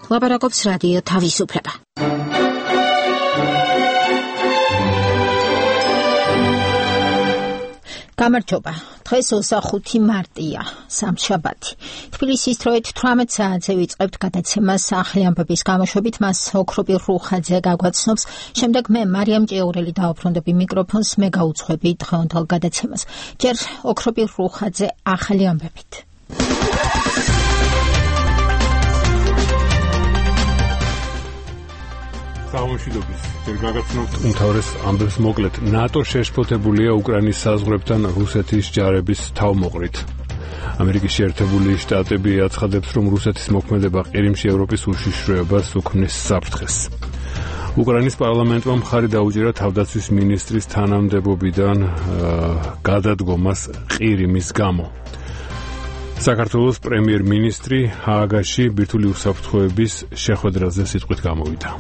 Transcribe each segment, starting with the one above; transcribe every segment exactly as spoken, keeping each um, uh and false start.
ლაპარაკობს რადიო თავისუფლება. გამარჯობა. დღეს ოცდახუთი მარტია, სამშაბათი. თბილისის დროით თვრამეტ საათზე ვიწყებთ გადაცემას ახალი ამბების გამოშვებით, მას ოქროპი რუხაძე გაგვაცნობს. შემდეგ მე მარიამ ჭიაურელი დავუბრუნდები მიკროფონს, მე გაუძღვები დღევანდელ გადაცემას. ჯერ ოქროპი რუხაძე ახალი ამბებით. სამშვიდობის. ჯერ გაგაცნობთ უმთავრეს ამბებს მოკლედ. ნატო შეშფოთებულია უკრაინის საზღვრებთან რუსეთის ჯარების თავმოყრით. ამერიკის შეერთებული შტატები აცხადებს, რომ რუსეთის მოქმედება ყირიმში ევროპის უშიშროებას უქმნის საფრთხეს. უკრაინის პარლამენტმა მხარი დაუჭირა თავდაცვის მინისტრის თანამდებობიდან გადადგომას ყირიმის გამო. საქართველოს პრემიერ-მინისტრი ჰააგაში ბირთვული უსაფრთხოების შეხვედრაზე სიტყვით გამოვიდა.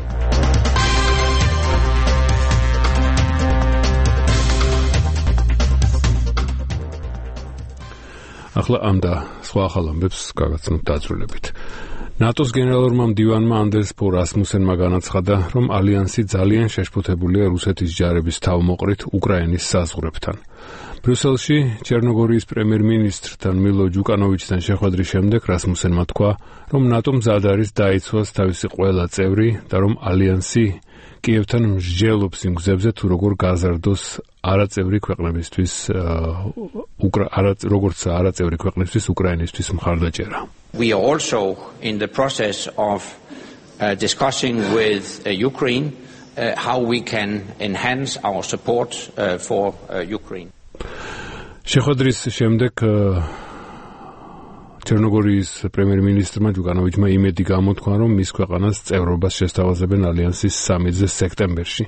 ახლა ამ და სხვა ახალ ამბებს გაგაცნობთ დაწვრილებით. ნატოს გენერალურმა მდივანმა ანდერს ფო რასმუსენმა განაცხადა, რომ ალიანსი ძალიან შეშფოთებულია რუსეთის ჯარების თავმოყრით უკრაინის საზღვრებთან. ბრიუსელში ჩერნოგორიის პრემიერ-მინისტრთან მილო ჯუკანოვიჩთან შეხვედრის შემდეგ რასმუსენმა თქვა, რომ ნატომ მზად არის დაიცვას თავისი ყველა წევრი და რომ ალიანსი კიევთან მსჯელობს იმ გზებზე, თუ როგორ გაზარდოს არაწევრი ქვეყნებისთვის როგორც არაწევრი ქვეყნებისთვის უკრაინისთვის მხარდაჭერა. We are also in the process of uh, discussing with uh, Ukraine uh, how we can enhance our support uh, for uh, Ukraine. შეხვედრის შემდეგ ჩერნოგორიის პრემიერ-მინისტრმა ჯუკანოვიჩმა იმედი გამოთქვა, რომ მის ქვეყანას წევრობას შესთავაზებენ ალიანსის სამედზე სექტემბერში.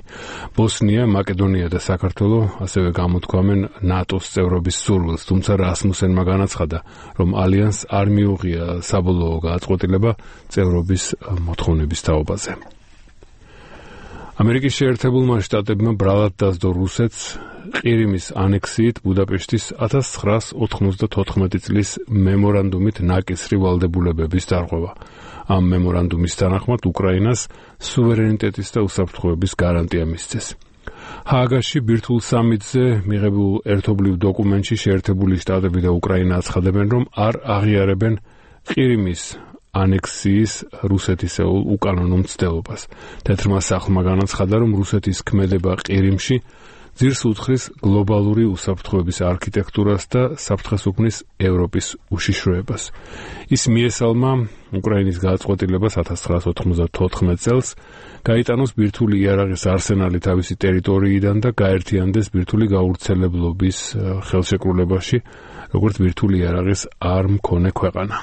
ბოსნია, მაკედონია და საქართველო ასევე გამოთქვამენ ნატოს წევრობის სურვილს, თუმცა რასმუსენმა განაცხადა, რომ ალიანსს არ მიუღია საბოლოო გადაწყვეტილება წევრობის მოთხოვნების თაობაზე. ამერიკის შეერთებულმა შტატებმა ბრალად დასდო რუსეთს ყირიმის ანექსიით ბუდაპეშტის ათას ცხრაას ოთხმოცდათოთხმეტი წლის მემორანდუმით ნაკისრი ვალდებულებების დარღვევა. ამ მემორანდუმის თანახმად უკრაინას სუვერენიტეტის და უსაფრთხოების გარანტია მისცეს. ჰააგაში ბირთვულ სამიტზე მიღებულ ერთობლივ დოკუმენტში შეერთებული შტატები და უკრაინა აცხადებენ, რომ არ აღიარებენ ყირიმის ანექსიის რუსეთისეულ უკანონო მცდელობას. თეთრმა სახლმა განაცხადა, რომ რუსეთის ქმედება ყირიმში ძირს უძღვრის გლობალური უსაფრთხოების არქიტექტურას და საფრთხეს უქმნის ევროპის უშიშროებას. ის მიესალმა უკრაინის გადაწყვეტილებას ათას ცხრაას ოთხმოცდათოთხმეტ წელს გაიტანოს ბირთვული იარაღის არსენალი თავისი ტერიტორიიდან და გაერთიანდეს ბირთვული გავრცელებლობის ხელშეკრულებაში, როგორც ბირთვული იარაღის არ მქონე ქვეყანა.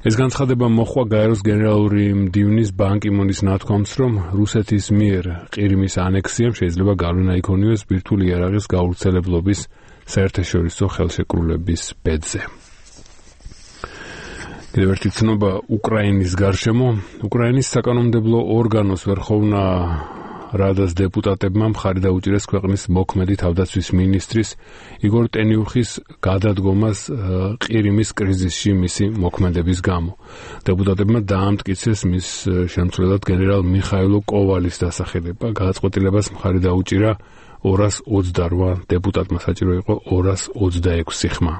ეს განცხადება მოხვა გაეროს გენერალური მდივნის ბან კი მუნის ნათქვამს, რომ რუსეთის მიერ ყირიმის ანექსიამ შეიძლება გავლენა იქონიოს ბირთვული იარაღის გავრცელებლობის საერთაშორისო ხელშეკრულების ბედზე. კიდევ ერთი ცნობა უკრაინის გარშემო. უკრაინის საკანონმდებლო ორგანოს ვერხოვნა რადას დეპუტატებმა მხარი დაუჭირეს ქვეყნის მოქმედი თავდაცვის მინისტრის იგორ ტენიუხის გადადგომას ყირიმის კრიზისში მისი მოქმედების გამო. დეპუტატებმა დაამტკიცეს მის შემცვლელად გენერალ მიხაილო კოვალის დასახელება. გადაწყვეტილებას მხარი დაუჭირა ორას ოცდარვა დეპუტატმა, საჭირო იყო ორას ოცდაექვსი ხმა.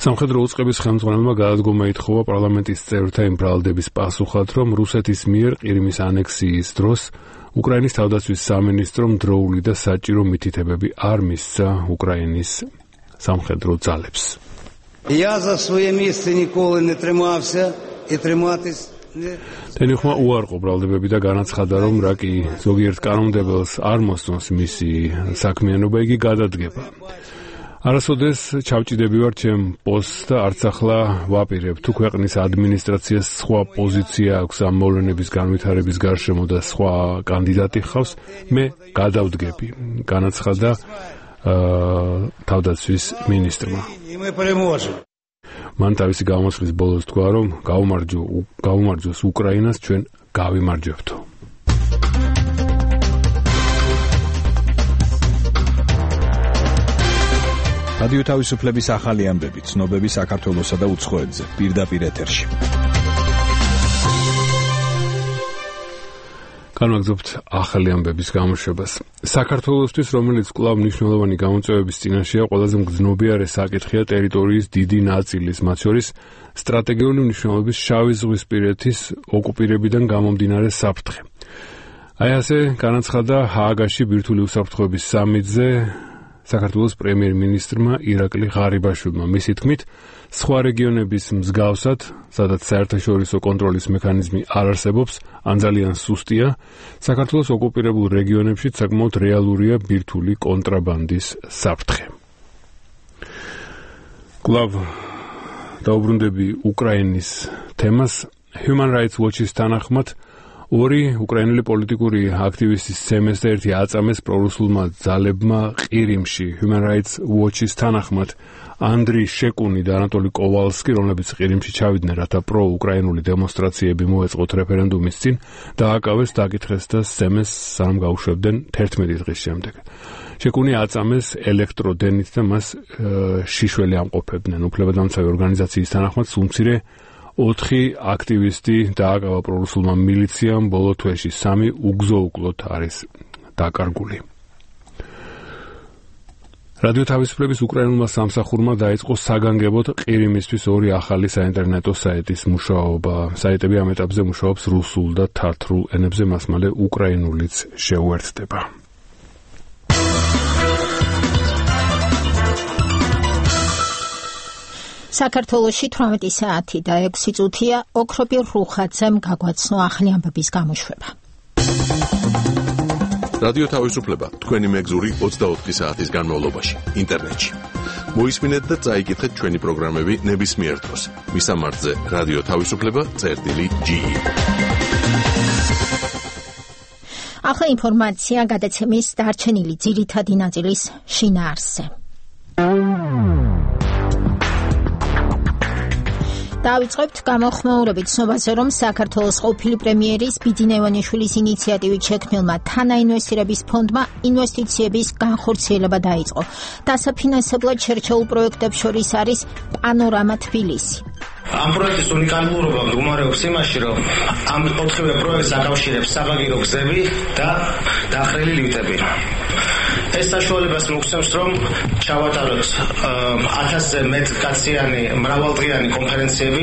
სამხედრო უწყების ხელმძღვანელმა გადადგომა ითხოვა პარლამენტის წევრთა იმ ბრალდების პასუხად, რომ რუსეთის მიერ ყირიმის ანექსიის დროს უკრაინის თავდაცვის სამინისტრომ დროული და საჭირო მითითებები არ მისცა უკრაინის სამხედრო ძალებს. Я за своє місце ніколи не тримався і триматись не. ტენიუხმა უარყო ბრალდებები და განაცხადა, რომ რა კი ზოგიერთ კანონმდებელს არ მოსწონს მისი საქმიანობა, იგი გადადგება. არასოდეს ჩავჭიდები ვარ ჩემ პოსტს და არც ახლა ვაპირებ, თუ ქვეყნის ადმინისტრაციას სხვა პოზიცია აქვს ამ მოვლენების განვითარების გარშემო და სხვა კანდიდატი ხავს, მე გადავდგები, განაცხადა თავდაცვის მინისტრმა. მან თავისი გამოსვლის ბოლოს თქვა, რომ გაუმარჯოს უკრაინას, ჩვენ გავიმარჯვებთო. რადიო თავისუფლების ახალი ამბები, ცნობები საქართველოსა და უცხოეთზე, პირდაპირ ეთერში. განვაგრძობთ ახალი ამბების გამოშვებას. საქართველოსთვის, რომელიც კვლავ მნიშვნელოვანი გამოწვევების წინაშეა, ყველაზე მგრძნობიარე საკითხია ტერიტორიის დიდი ნაწილის, მათ შორის სტრატეგიული მნიშვნელობის შავი ზღვისპირეთის ოკუპირებიდან გამომდინარე საფრთხე. აი ასე განაცხადა ჰააგაში ბირთვული უსაფრთხოების სამიტზე საქართველოს პრემიერ-მინისტრმა ირაკლი ღარიბაშვილმა. მისი თქმით, სხვა რეგიონების მსგავსად, სადაც საერთაშორისო კონტროლის მექანიზმი არ არსებობს, ან ძალიან სუსტია, საქართველოს ოკუპირებულ რეგიონებში საკმაოდ რეალურია ბირთვული კონტრაბანდის საფრთხე. კვლავ დაუბრუნდები უკრაინის თემას. Human Rights Watch-ის თანახმად, ორი უკრაინელი პოლიტიკური აქტივისტის ცემეს და ერთი აწამეს პრორუსულმა ძალებმა ყირიმში. Human Rights Watch-ის თანახმად, ანდრი შეკუნი და ანატოლი კოვალსკი, რომლებიც ყირიმში ჩავიდნენ, რათა პრო-უკრაინული დემონსტრაციები მოეწყოთ რეფერენდუმის წინ, დააკავეს, დაკითხეს და სცემეს, სანამ გაუშვებდნენ თერთმეტი დღის შემდეგ. შეკუნი აწამეს ელექტროდენით და მას შიშველი ამყოფებდნენ. უფლებადამცავი ორგანიზაციის თანახმად, სულ ოთხი აქტივისტი დააკავა პრორუსულმა მილიციამ, ბოლო თვეში სამი უგზო-უკლოდ არის დაკარგული. რადიო თავისუფლების უკრაინულმა სამსახურმა დაიწყო საგანგებოდ ყირიმისთვის ორი ახალი საინტერნეტო საიტის მუშაობა. საიტები ამ ეტაპზე მუშაობს რუსულ და თათრულ ენებზე, მას მალე უკრაინულიც შეუერთდება. საქართველოში თვრამეტი საათი და ექვსი წუთია ოქროპირ რუხაძემ გაგვაცნო ახალი ამბების გამოშვება. რადიო თავისუფლება თქვენი მეგზური ოცდაოთხი საათის განმავლობაში ინტერნეტში. მოისმინეთ და წაიკითხეთ ჩვენი პროგრამები ნებისმიერ დროს. მისამართზე რადიო თავისუფლება წერტილი ჯი. ახლა ინფორმაცია გადაცემის დარჩენილი ძირითადი ნაწილის შინაარსზე. დავიწყებთ გამოხმაურებით ცნობაზე, რომ საქართველოს ყოფილი პრემიერის ბიძინა ივანიშვილის ინიციატივით შექმნილმა თანაინვესტირების ფონდმა ინვესტიციების განხორციელება დაიწყო. დასაფინანსებლად შერჩეულ პროექტებს შორის არის პანორამა თბილისი. ამ პროექტის უნიკალურობა მდგომარეობს იმაში, რომ ამ ოთხივე პროექტს აკავშირებს საბაგირო გზები და დახრილი ლიფტები. ეს საშუალებას მოგცემს, რომ ჩავატაროთ ათასზე მეტ კაციანი მრავალდღიანი კონფერენციები.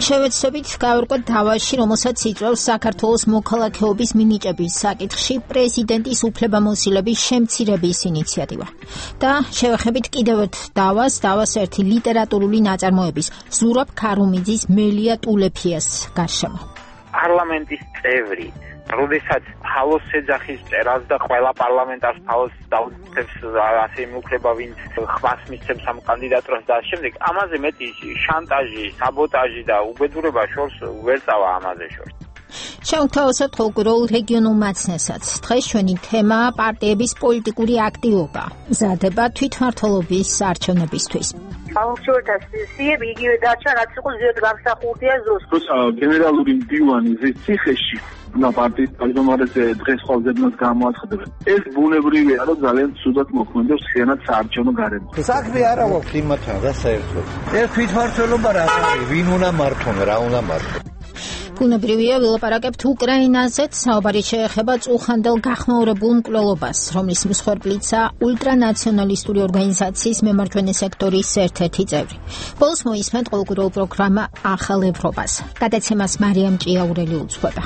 შევეცდებით გავერკვეთ დავაში, რომელსაც იწვევს საქართველოს მოქალაქეობის მინიჭების საკითხში პრეზიდენტის უფლებამოსილების შემცირების ინიციატივა. და შევეხებით კიდევ ერთ დავას, დავას ერთი ლიტერატურული ნაწარმოების ზურაბ ქარუმიძის მელია ტულეფიას გარშემო. პარლამენტის წევრი როდესაც თალოს ეძახის წერას და ყველა პარლამენტარს თალოს დაუწევს ასე მიუქლება, ვინც ხმას მისცემს ამ კანდიდატურას და შემდეგ ამაზე მეტი შანტაჟი, საბოტაჟი და უბედურება შორს ვერ წავა ამაზე შორს. შევთავაზოთ ყოველგვარულ რეგიონულ მაცნესაც. დღეს ჩვენი თემაა პარტიების პოლიტიკური აქტივობა, მზადება თვითმმართველობის არჩევნებისთვის. საუნქციოთა სიები იგივე დარჩა, რაც იყო ზედ გამსახურდია ზოს. როცა გენერალური მდივანი ზის ციხეში და პარტიის თავმჯდომარეზე დღეს ხვალდებნას გამოაცხადებენ. ეს ბუნებრივია, რომ ძალიან ცუდად მოქმედებს ხიანად საარჩევნო გარემოში. საქმე არა გვაქვს იმათთან და საერთოდ. ეს თვითმმართველობა რა არის? ვინ უნდა მართონ, რა უნდა მართონ? ბუნებრივია ვილაპარაკებთ უკრაინაზეც, საუბარი შეეხება წუხანდელ გახმაურებულ მკვლელობას, რომლის მსხვერპლიცაა ულტრანაციონალისტური ორგანიზაციის მემარჯვენე სექტორის ერთ-ერთი წევრი. ბოლოს მოისმენთ ყოველგვარულ პროგრამა ახალ ევროპას. გადაცემას მარიამ ჭიაურელი უძღვება.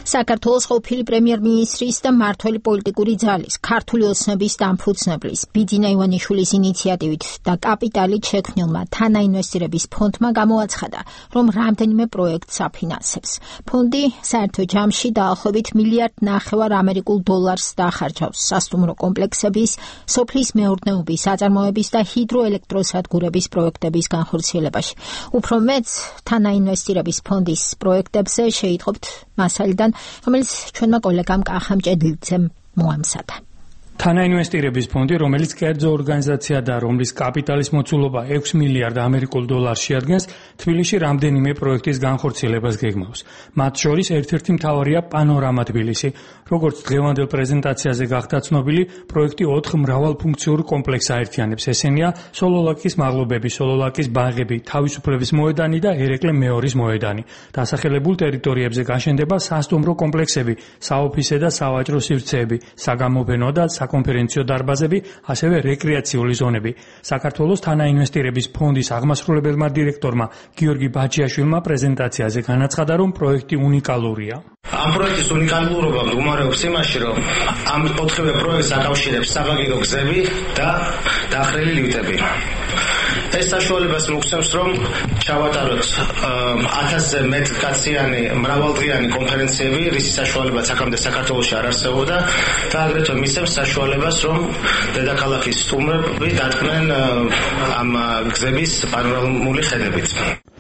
საქართველოს ყოფილი პრემიერ-მინისტრის და მმართველი პოლიტიკური ძალის, ქართული ოცნების დამფუძნებლის, ბიძინა ივანიშვილის ინიციატივით და კაპიტალით შექმნილმა თანაინვესტირების ფონდმა გამოაცხადა, რომ რამდენიმე პროექტს აფინანსებს. ფონდი საერთო ჯამში დაახლოებით მილიარდ ნახევარ ამერიკულ დოლარს დაახარჯავს სასტუმრო კომპლექსების, სოფლის მეურნეობის, აწარმოების და ჰიდროელექტროსადგურების პროექტების განხორციელებაში. უფრო მეტს თანაინვესტირების ფონდის პროექტებზე შეიტყობთ მასალიდან, რომელიც ჩვენმა კოლეგამ კახამ ჭედლიძემ მოამზადა. თანაინვესტირების ფონდი, რომელიც კერძო ორგანიზაცია და რომლის კაპიტალის მოცულობა ექვსი მილიარდ ამერიკულ დოლარს შეადგენს, თბილისში რამდენიმე პროექტის განხორციელებას გეგმავს. მათ შორის ერთ-ერთი მთავარია პანორამა თბილისი. როგორც დღევანდელ პრეზენტაციაზე გახდა ცნობილი, პროექტი ოთხ მრავალფუნქციურ კომპლექსს აერთიანებს. ესენია სოლოლაკის მაღლობები, სოლოლაკის ბაღები, თავისუფლების მოედანი და ერეკლე მეორის მოედანი. დასახელებულ ტერიტორიებზე გაშენდება სასტუმრო კომპლექსები, საოფისე და სავაჭრო სივრცეები, საგამოფენო და საკონფერენციო დარბაზები, ასევე რეკრეაციული ზონები. საქართველოს თანაინვესტირების ფონდის აღმასრულებელმა დირექტორმა გიორგი ბაჩიაშვილმა პრეზენტაციაზე განაცხადა, რომ პროექტი უნიკალურია. ამ პროექტის უნიკალურობა მდგომარეობს იმაში, რომ ამ ოთხივე პროექტს აკავშირებს საბაგირო გზები და დახრილი ლიფტები. ეს საშუალებას მოგცემს, რომ ჩავატაროთ ათასზე მეტ კაციანი მრავალდღიანი კონფერენციები, რისი საშუალებაც აქამდე საქართველოში არ არსებობდა და აგრეთვე მისცემს საშუალებას, რომ დედაქალაქის სტუმრები დადგნენ ამ გზების პანორამული ხედებით.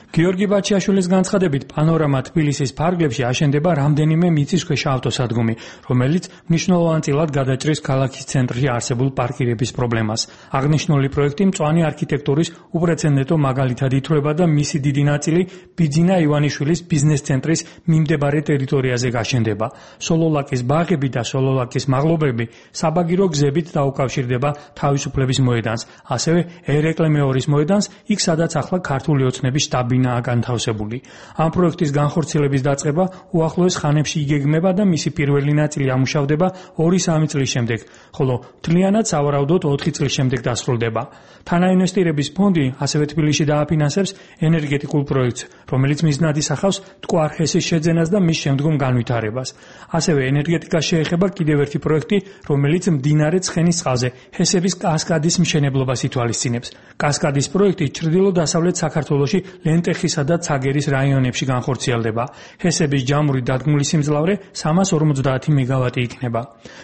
გიორგი ბაჩიაშვილის განცხადებით, პანორამა თბილისის ფარგლებში აშენდება რამდენიმე მიწისქვეშა ავტოსადგომი, რომელიც მნიშვნელოვანწილად გადაჭრის ქალაქის ცენტრში არსებულ პარკირების პრობლემას. აღნიშნული პროექტი მწვანე არქიტექტურის უპრეცედენტო მაგალითად ითვლება და მისი დიდი ნაწილი ბიძინა ივანიშვილის ბიზნეს ცენტრის მიმდებარე ტერიტორიაზე გაშენდება. სოლოლაკის ბაღები და სოლოლაკის მაღლობები საბაგირო გზებით დაუკავშირდება თავისუფლების მოედანს, ასევე ერეკლე მეორის მოედანს, იქ სადაც ახლა ქართული ოცნების შტაბი განთავსებული. ამ პროექტის განხორციელების დაწყება უახლოეს ხანებში იგეგმება და მისი პირველი ნაწილი ამუშავდება ორი-სამი წლის შემდეგ, ხოლო მთლიანად სავარაუდოდ ოთხი წლის შემდეგ დასრულდება. თანაინვესტირების ფონდი ასევე თბილისში დააფინანსებს ენერგეტიკულ პროექტს, რომელიც მიზნად ისახავს მტკვარ ჰესის შეძენას და მის შემდგომ განვითარებას. ასევე ენერგეტიკას შეეხება კიდევ ერთი პროექტი, რომელიც მდინარე ცხენის წყალზე ჰესების კასკადის მშენებლობას ითვალისწინებს. კასკადის პროექტი ჩრდილო-დასავლეთ საქართველოში ლენტეხისა და ცაგერის რაიონებში განხორციელდება. ჰესების ჯამური დადგმული სიმძლავრე სამას ორმოცდაათი მეგავატი იქნება.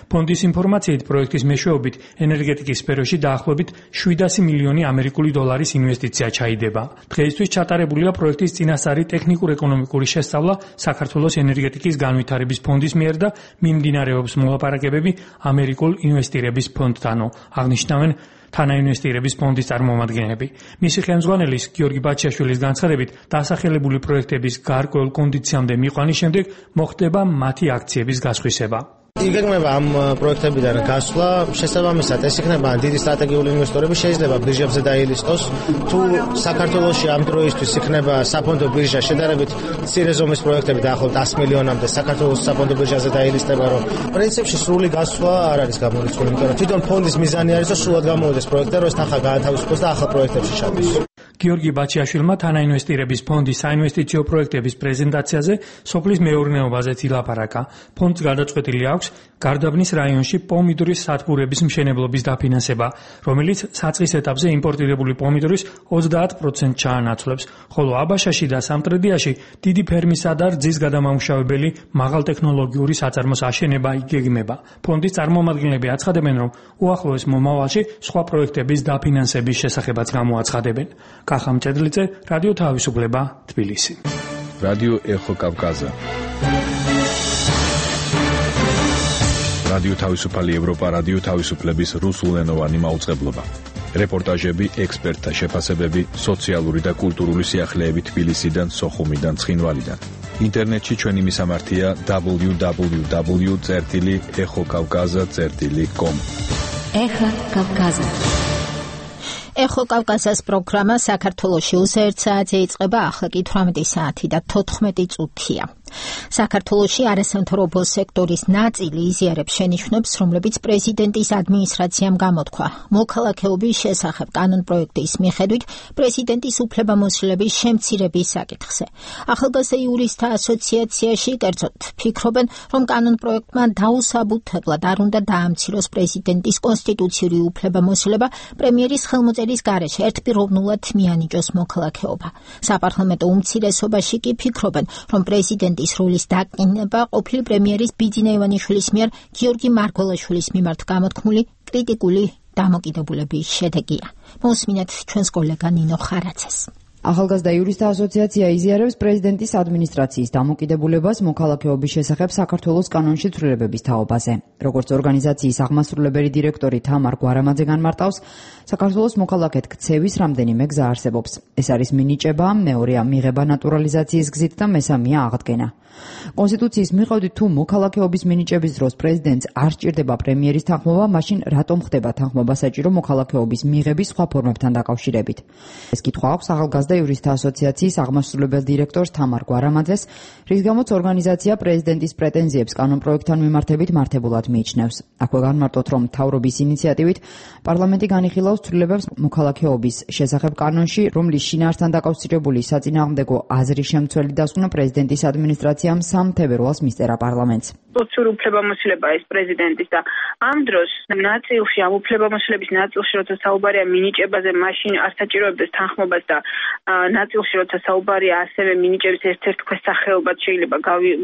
ფონდის ინფორმაციით, პროექტის მეშვეობით ენერგეტიკის სფეროში დაახლოებით შვიდასი მილიონი ამერიკული დოლარის ინვესტიცია ჩაიდება. დღეისთვის ჩატარებულია პროექტის წინასწარი ტექნიკურ-ეკონომიკური შესწავლა საქართველოს ენერგეტიკის განვითარების ფონდის მიერ და მიმდინარეობს მოლაპარაკებები ამერიკულ ინვესტირების ფონდთანო, აღნიშნავენ თანაინვესტირების ფონდის წარმომადგენლები. მისი ხელმძღვანელის გიორგი ბაჩიაშვილის განცხადებით, დასახელებული პროექტების გარკვეულ კონდიციამდე მიყვანის შემდეგ მოხდება მათი აქციების გასხვისება. იგეგმება ამ პროექტებიდან გასვლა, შესაბამისად ეს იქნება დიდი სტრატეგიული ინვესტორები შეიძლება ბირჟებზე დაილისტოს. თუ საქართველოში ამ დროისთვის იქნება საფონდო ბირჟა შედარებით მცირე ზომის პროექტები დაახლოებით ას მილიონამდე საქართველოს საფონდო ბირჟაზე დაილისტება, რომ პრინციპში სრული გასვლა არ არის გამორიცხული, იმიტომ რომ თვითონ ფონდის მიზანი არის, რომ სრულად გამოვიდეს პროექტი, რომ ეს თანხა გაათავისუფლოს და ახალ პროექტებში ჩადოს. გიორგი ბაჩიაშვილმა თანაინვესტირების ფონდის საინვესტიციო პროექტების პრეზენტაციაზე სოფლის მეურნეობაზეც ილაპარაკა. ფონდს გადაწყვეტილი აქვს გარდაბნის რაიონში პომიდორის სადგურების მშენებლობის დაფინანსება, რომელიც საწყის ეტაპზე იმპორტირებული პომიდორის ოცდაათ პროცენტს ჩაანაცვლებს, ხოლო აბაშაში და სამტრედიაში დიდი ფერმისა და რძის გადამამუშავებელი მაღალტექნოლოგიური საწარმოს აშენება იგეგმება. ფონდის წარმომადგენლები აცხადებენ, რომ უახლოეს მომავალში სხვა პროექტების დაფინანსების შესახებაც გამოაცხადებენ. კახა მჭედლიძე, რადიო თავისუფლება, თბილისი. რადიო ეხო კავკაზა. რადიო თავისუფალი ევროპა, რადიო თავისუფლების რუსულენოვანი მაუწყებლობა. რეპორტაჟები, ექსპერტთა შეფასებები, სოციალური და კულტურული სიახლეები თბილისიდან, სოხუმიდან, ცხინვალიდან. ინტერნეტში ჩვენი მისამართია დაბლიუ დაბლიუ დაბლიუ წერტილი ეხო კავკაზა წერტილი კომ. ეხო კავკაზა. ეხო კავკაზას პროგრამა საქართველოში უსერთ საათზე იწყება, ახლა კი თვრამეტი საათი და თოთხმეტი წუთია. საქართველოში არასამთავრობო სექტორის ნაწილი იზიარებს შენიშვნებს, რომლებიც პრეზიდენტის ადმინისტრაციამ გამოთქვა. მოქალაქეობის შესახებ კანონპროექტის მიხედვით პრეზიდენტის უფლებამოსილების შემცირების საკითხზე. ახალგაზრდა იურისტთა ასოციაციაში კერძოდ ფიქრობენ, რომ კანონპროექტმა დაუსაბუთებლად არ უნდა დაამციროს პრეზიდენტის კონსტიტუციური უფლებამოსილება პრემიერის ხელმოწერის გარეშე ერთპიროვნულად მიანიჭოს მოქალაქეობა. საპარლამენტო უმცირესობაში კი ფიქრობენ, რომ პრეზიდენტის როლის დაკინება ყოფილი პრემიერის ბიძინა ივანიშვილის მიერ გიორგი მარგველაშვილის მიმართ გამოთქმული კრიტიკული დამოკიდებულების შედეგია. მოსმინეთ ჩვენს კოლეგა ნინო ხარაძეს. ახალგაზრდა იურისტთა ასოციაცია იზიარებს პრეზიდენტის ადმინისტრაციის დამოკიდებულებას მოქალაქეობის შესახებ საქართველოს კანონში ცვლილებების თაობაზე. როგორც ორგანიზაციის აღმასრულებელი დირექტორი თამარ გვარამაძე განმარტავს, საქართველოს მოქალაქედ ქცევის რამდენიმე გზა არსებობს. ეს არის მინიჭება, მეორეა მიღება ნატურალიზაციის გზით და მესამეა აღდგენა. კონსტიტუციის მიხედვით თუ მოქალაქეობის მინიჭების დროს პრეზიდენტს არ სჭირდება პრემიერის თანხმობა, მაშინ რატომ ხდება თანხმობა საჭირო მოქალაქეობის მიღების სხვა ფორმებთან დაკავშირებით? ეს კითხვა აქვს ახალგაზრდა იურისტთა ასოციაციის აღმასრულებელ დირექტორს თამარ გვარამაძეს, რის გამოც ორგანიზაცია პრეზიდენტის პრეტენზიებს კანონპროექტთან მიმართებით მართებულად მიიჩნევს. აქვე განმარტოთ, რომ მთავრობის ინიციატივით პარლამენტი განიხილავს ცვლილებებს მოქალაქეობის შესახებ კანონში, რომლის შინაარსთან დაკავშირებული საწინააღმდეგო აზრის შემცველი დასკვნა პრეზიდენტის ადმინისტრაციამ სამ თებერვალს მისწერა პარლამენტს. სოციურ უფლებამოსილება ეს პრეზიდენტის და ამ დროს ნაწილში ამ უფლებამოსილების ნაწილში როცა საუბარია მინიჭებაზე, მაშინ არ საჭიროებდეს თანხმობას და ნაწილში როცა საუბარია ასევე მინიჭების ერთ-ერთ ქვესახეობად შეიძლება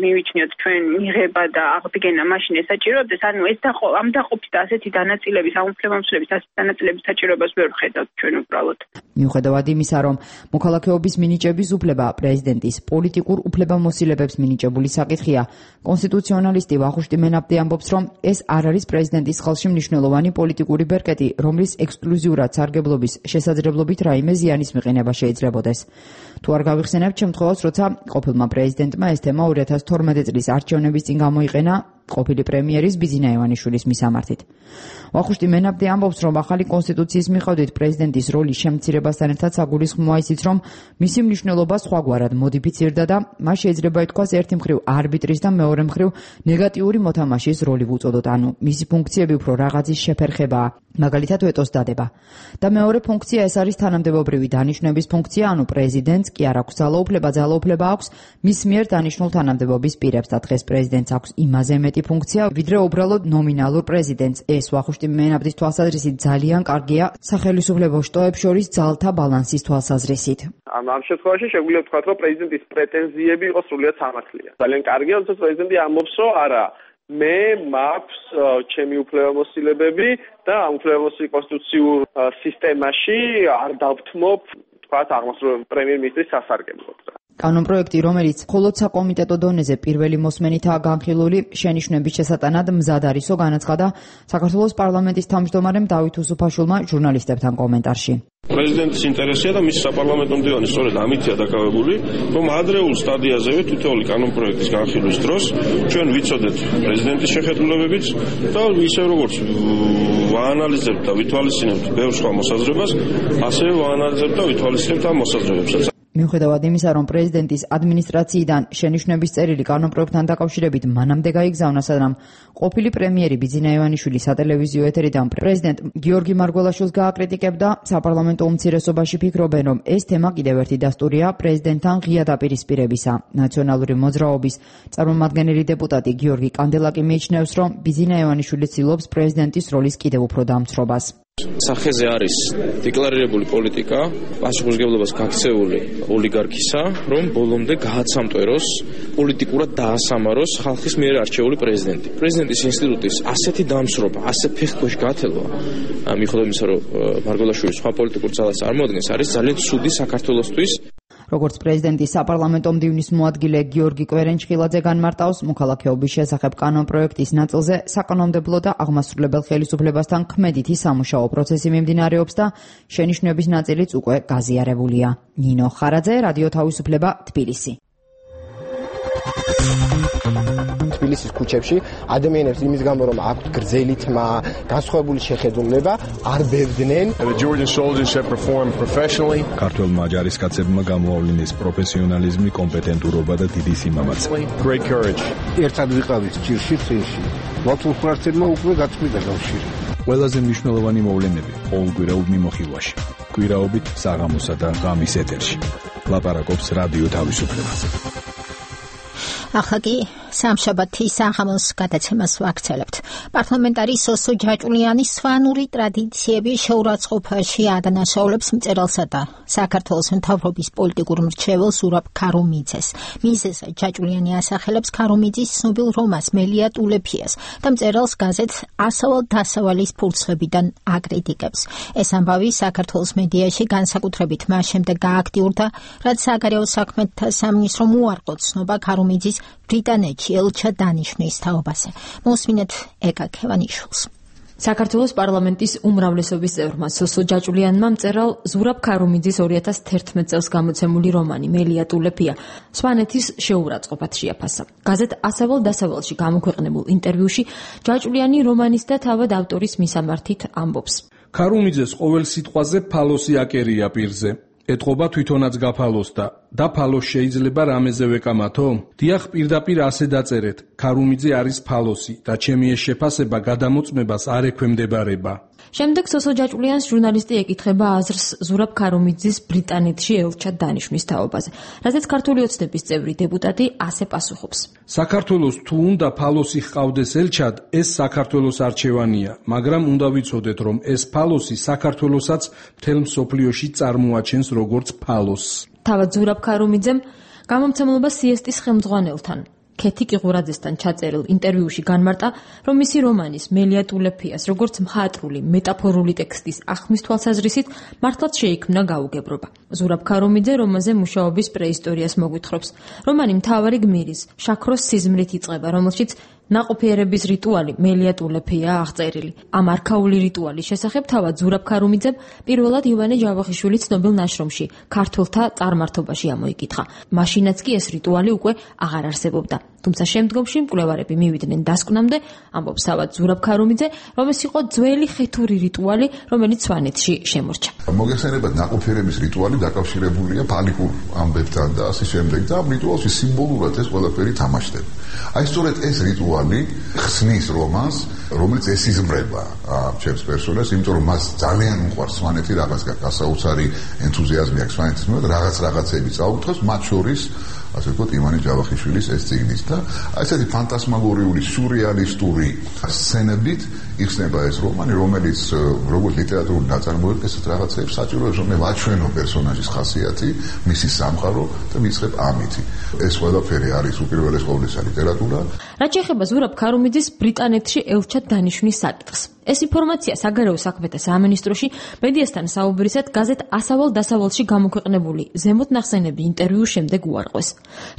მივიჩნიოთ ჩვენ მიღება და აღდგენა, მაშინ ეს საჭიროებდეს. ანუ ეს ამ დაყოფის და ასეთი დანაწილების, ამ უფლებამოსილების ასეთი დანაწილების საჭიროებას ვერ ვხედავთ ჩვენ უბრალოდ. მიუხედავად იმისა, რომ მოქალაქეობის მინიჭების უფლება პრეზიდენტის პოლიტიკურ უფლებამოსილებებს მინიჭებული საკითხია, კონსტიტუციონალისტი ვახუშტი მენაბდი ამბობს, რომ ეს არ არის პრეზიდენტის ხელში მნიშვნელოვანი პოლიტიკური ბერკეტი, რომლის ექსკლუზიურად სარგებლობის შესაძლებლობით რაიმე ზიანის მიყენება შეიძლებოდეს. თუ არ გავიხსენებთ შემთხვევას, როცა ყოფილმა პრეზიდენტმა ეს თემა ორი ათას თორმეტი წლის არჩევნების წინ გამოიყენა ყოფილი პრემიერის ბიძინა ივანიშვილის მისამართით. ვახუშტი მენაბდი ამბობს, რომ ახალი კონსტიტუციის მიხედვით პრეზიდენტის როლის შემცირებასთან ერთად საგულისხმოა ისიც, რომ მისი მნიშვნელობა სხვაგვარად მოდიფიცირდა და მას შეიძლება ითქვას ერთი მხრივ არბიტრის და მეორე მხრივ ნეგატიური მოთამაშის როლი ვუწოდოთ, ანუ მისი ფუნქციები უფრო რაღაცის შეფერხებაა, მაგალითად ვეტოს დადება. და მეორე ფუნქცია ეს არის თანამდებობრივი დანიშვნების ფუნქცია, ანუ პრეზიდენტს კი არ აქვს ძალაუფლება, ძალაუფლება აქვს მის მიერ დანიშნულ თანამდებობის პირებს და დღეს პრეზიდენტს აქვს იმაზე მეტი ფუნქცია, ვიდრე უბრალოდ ნომინალურ პრეზიდენტს. ეს ვახუშტი მენაბდის თვალსაზრისით ძალიან კარგია სახელმწიფო შტოებს შორის ძალთა ბალანსის თვალსაზრისით. ამ ამ შემთხვევაში შეგვიძლია ვთქვათ, რომ პრეზიდენტის პრეტენზიები იყო სრულიად სამართლია. ძალიან კარგია, როდესაც პრეზიდენტი ამბობს, რომ არა, მე მაქვს ჩემი უფლებამოსილებები და ამ უფლებამოსილების კონსტიტუციურ სისტემაში არ დავთმობ, ვთქვათ, აღმასრულებელი პრემიერ-მინისტრის სასარგებლოდ. კანონპროექტი, რომელიც მხოლოდ საკომიტეტო დონეზე პირველი მოსმენითაა განხილული, შენიშვნების შესატანად მზად არისო, განაცხადა საქართველოს პარლამენტის თავმჯდომარემ დავით უსუფაშვილმა ჟურნალისტებთან კომენტარში. პრეზიდენტის ინტერესია და მის საპარლამენტო მდივანი სწორედ ამითია დაკავებული, რომ ადრეულ სტადიაზევე თითოეული კანონპროექტის განხილვის დროს ჩვენ ვიცოდეთ პრეზიდენტის შეხედულებებიც და ისე როგორც ვაანალიზებთ და ვითვალისწინებთ ბევრ სხვა მოსაზრებას, ასევე ვაანალიზებთ და ვითვალისწინებთ ამ მოსაზრებებსაც. მიუხედავად იმისა, რომ პრეზიდენტის ადმინისტრაციიდან შენიშვნების წერილი კანონპროექტთან დაკავშირებით მანამდე გაიგზავნა, სანამ ყოფილი პრემიერი ბიძინა ივანიშვილი სატელევიზიო ეთერიდან პრეზიდენტ გიორგი მარგველაშვილს გააკრიტიკებდა, საპარლამენტო უმცირესობაში ფიქრობენ, რომ ეს თემა კიდევ ერთი დასტურია პრეზიდენტთან ღია დაპირისპირებისა. ნაციონალური მოძრაობის წარმომადგენელი დეპუტატი გიორგი კანდელაკი მიიჩნევს, რომ ბიძინა ივანიშვილი ცდილობს პრეზიდენტის როლის კიდევ უფრო დამცრობას. სახეზე არის დეკლარირებული პოლიტიკა, პასუხისმგებლობას გაქცეული ოლიგარქისა, რომ ბოლომდე გააცამტვეროს, პოლიტიკურად დაასამაროს ხალხის მიერ არჩეული პრეზიდენტი. პრეზიდენტის ინსტიტუტის ასეთი დამსრობა, ასე ფეხქვეშ გათელვა, მიუხედავად იმისა, რომ მარგველაშვილი სხვა პოლიტიკურ ძალას წარმოადგენს, არის ძალიან ცუდი საქართველოსთვის. როგორც პრეზიდენტის საპარლამენტო მდივნის მოადგილე გიორგი კვერენჩხილაძე განმარტავს, მოქალაქეობის შესახებ კანონპროექტის ნაწილზე საკანონმდებლო და აღმასრულებელ ხელისუფლებასთან ქმედითი სამუშაო პროცესი მიმდინარეობს და შენიშვნების ნაწილიც უკვე გაზიარებულია. ნინო ხარაძე, რადიო თავისუფლება, თბილისი. თბილისის ქუჩებში ადამიანებს იმის გამო, რომ აქვთ გრძელი თმა, განსხვავებული შეხედულება, არ ბევდნენ. ქართველმა ჯარისკაცებმა გამოავლინეს პროფესიონალიზმი, კომპეტენტურობა და დიდი სიმამაცე. ერთად ვიყავით ჭირში წინში. მათულხარცებმა უკვე გაწყვიტა კავშირი. ყველაზე მნიშვნელოვანი მოვლენები ყოველკვირეულ მიმოხილვაში. კვირაობით საღამოსა და ღამის ეთერში. ლაპარაკობს რადიო თავისუფლებაზე. ახლა კი სამშაბათი საღამოს გადაცემას ვაგრძელებთ. პარლამენტარი სოსო ჯაჭულიანის სვანური ტრადიციები შეურაცხყოფაში ადანაშაულებს მწერალსა და საქართველოს მთავრობის პოლიტიკურ მრჩეველ ზურაბ ქარუმიძეს. მიზეზ ჯაჭულიანი ასახელებს ქარუმიძის ცნობილ რომანს მელია ტულეფიას და მწერალს გაზეთ ასავალ დასავალის ფურცლებიდან აკრიტიკებს. ეს ამბავი საქართველოს მედიაში განსაკუთრებით მას შემდეგ გააქტიურდა, რაც საგარეო საქმეთა სამინისტრომ უარყო ცნობა ქარუმიძის ბრიტანეთში ელჩად დანიშნვის თაობაზე. მოსმინეთ ეკა ქევანიშვილს. საქართველოს პარლამენტის უმრავლესობის წევრმა სოსო ჯაჭულიანმა მწერალ ზურაბ ქარუმიძის ორი ათას თერთმეტ წელს გამოცემული რომანი მელია ტულეფია სვანეთის შეურაცხყოფად შეაფასა. გაზეთ ასავალ დასავალში გამოქვეყნებულ ინტერვიუში ჯაჭულიანი რომანის და თავად ავტორის მისამართით ამბობს. ქარუმიძეს ყოველ სიტყვაზე ფალოსი აკერია პირზე. ეთყობა თვითონაც გაფალოსდა და ფალოს შეიძლება რამეზე ვეკამათო? დიახ, პირდაპირ ასე დაწერეთ. ქარუმიძე არის ფალოსი და ჩემი ეს შეფასება გადამოწმებას არ ექვემდებარება. შემდეგ სოსო ჯაჭულიანს ჟურნალისტი ეკითხება აზრს ზურაბ ქარუმიძის ბრიტანეთში ელჩად დანიშნვის თაობაზე, რაზეც ქართული ოცნების წევრი დეპუტატი ასე პასუხობს. საქართველოს თუ უნდა ფალოსი ჰყავდეს ელჩად, ეს საქართველოს არჩევანია, მაგრამ უნდა ვიცოდეთ, რომ ეს ფალოსი საქართველოსაც მთელ მსოფლიოში წარმოაჩენს როგორც ფალოსს. თავად ზურაბ ქარუმიძემ გამომცემლობა სიესტის ხელმძღვანელთან ქეთი კიღურაძესთან ჩაწერილ ინტერვიუში განმარტა, რომ მისი რომანის მელია ტულეფიას როგორც მხატვრული, მეტაფორული ტექსტის ახმის თვალსაზრისით მართლაც შეიქმნა გაუგებრობა. ზურაბ ქარუმიძე რომანზე მუშაობის პრეისტორიას მოგვითხრობს. რომანი მთავარი გმირის, შაქროს სიზმრით იწყება, რომელშიც ნაყოფიერების რიტუალი მელია ტულეფია აღწერილი. ამ არქაული რიტუალის შესახებ თავად ზურაბ ქარუმიძემ პირველად ივანე ჯავახიშვილი ცნობილ ნაშრომში ქართველთა წარმართობაში ამოიკითხა. მაშინაც კი ეს რიტუალი უკვე აღარ არსებობდა. თუმცა შემდგომში მკვლევარები მივიდნენ დასკვნამდე, ამბობს თავად ზურაბ ქარუმიძე, რომ ეს იყო ძველი ხეთური რიტუალი, რომელიც სვანეთში შემორჩა. მოგეხსენებათ, ნაყოფიერების რიტუალი დაკავშირებულია ფალიკურ ამბებთან და ასე შემდეგ და ამ რიტუალში სიმბოლურად ეს ყველაფერი თამაშდება. აი სწორედ ეს რიტუალი ხსნის რომანს, რომელიც ესიზმრება ჩემს პერსონაჟს, იმიტომ რომ მას ძალიან უყვარს სვანეთი, რაღაც გასაოცარი ენთუზიაზმი აქვს სვანეთის მიმართ, რაღაც რაღაცები წაუკითხავს, მათ შორის ასე ვთქვათ, ივანე ჯავახიშვილის ეს წიგნის და აი ესეთი ფანტასმაგორიული, სურეალისტური სცენებით იხსნება ეს რომანი, რომელიც როგორც ლიტერატურული ნაწარმოები, ესეთ რაღაცებს საჭიროებს, რომ მე ვაჩვენო პერსონაჟის ხასიათი, მისი სამყარო და ვიწყებ ამითი. ეს ყველაფერი არის უპირველეს ყოვლისა ლიტერატურა. რაც შეეხება ზურაბ ქარუმიძის ბრიტანეთში ელჩად დანიშნვის საკითხს. ეს ინფორმაცია საგარეო საქმეთა სამინისტროში მედიასთან საუბრისად გაზეთ ასავალ დასავალში გამოქვეყნებული ზემოთ ნახსენები ინტერვიუს შემდეგ უარყვეს.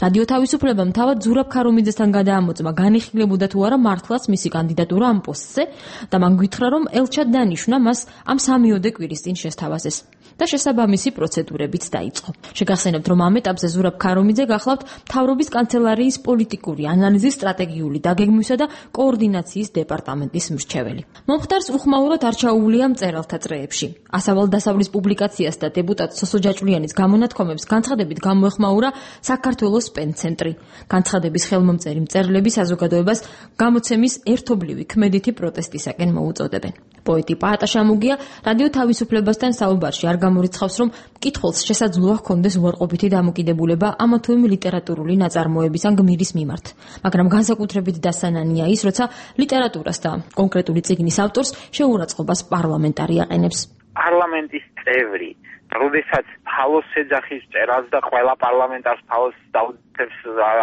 რადიო თავისუფლებამ თავად ზურაბ ქარუმიძესთან გადაამოწმა, განიხილებოდა თუ არა მართლაც მისი კანდიდატურა ამ პოსტზე და მან გითხრა, რომ ელჩად დანიშნა მას ამ სამიოდე კვირის წინ შესთავაზეს და შესაბამისი პროცედურებიც დაიწყო. შეგახსენებთ, რომ ამ ეტაპზე ზურაბ ქარუმიძე გახლავთ მთავრობის კანცელარიის პოლიტიკური ანალიზის, სტრატეგიული დაგეგმვისა და კოორდინაციის დეპარტამენტის მრჩეველი. მომხდარს უხმაურად არ ჩაუვლია მწერალთა წრეებში. ასავალ დასავლის პუბლიკაციას და დეპუტატ სოსო ჯაჭულიანის გამონათქვამებს განცხადებით გამოეხმაურა საქართველოს პენცენტრი. განცხადების ხელმომწერი მწერლები საზოგადოებას გამოცემის ერთობლივი ქმედითი პროტესტისაკენ მოუწოდებენ. პოეტი პაატა შამუგია რადიო თავისუფლებასთან საუბარში არ გამორიცხავს, რომ მკითხველს შესაძლოა ჰქონდეს უარყოფითი დამოკიდებულება ამა თუ იმ ლიტერატურული ნაწარმოების ან გმირის მიმართ, მაგრამ განსაკუთრებით დასანანია ის, როცა ლიტერატურას და კონკრეტული წიგნის ავტორს შეურაცხყოფას პარლამენტარი აყენებს. პარლამენტის წევრი, როდესაც ფალოს ეძახის წერას და ყველა პარლამენტარს ფალოს დაუძებს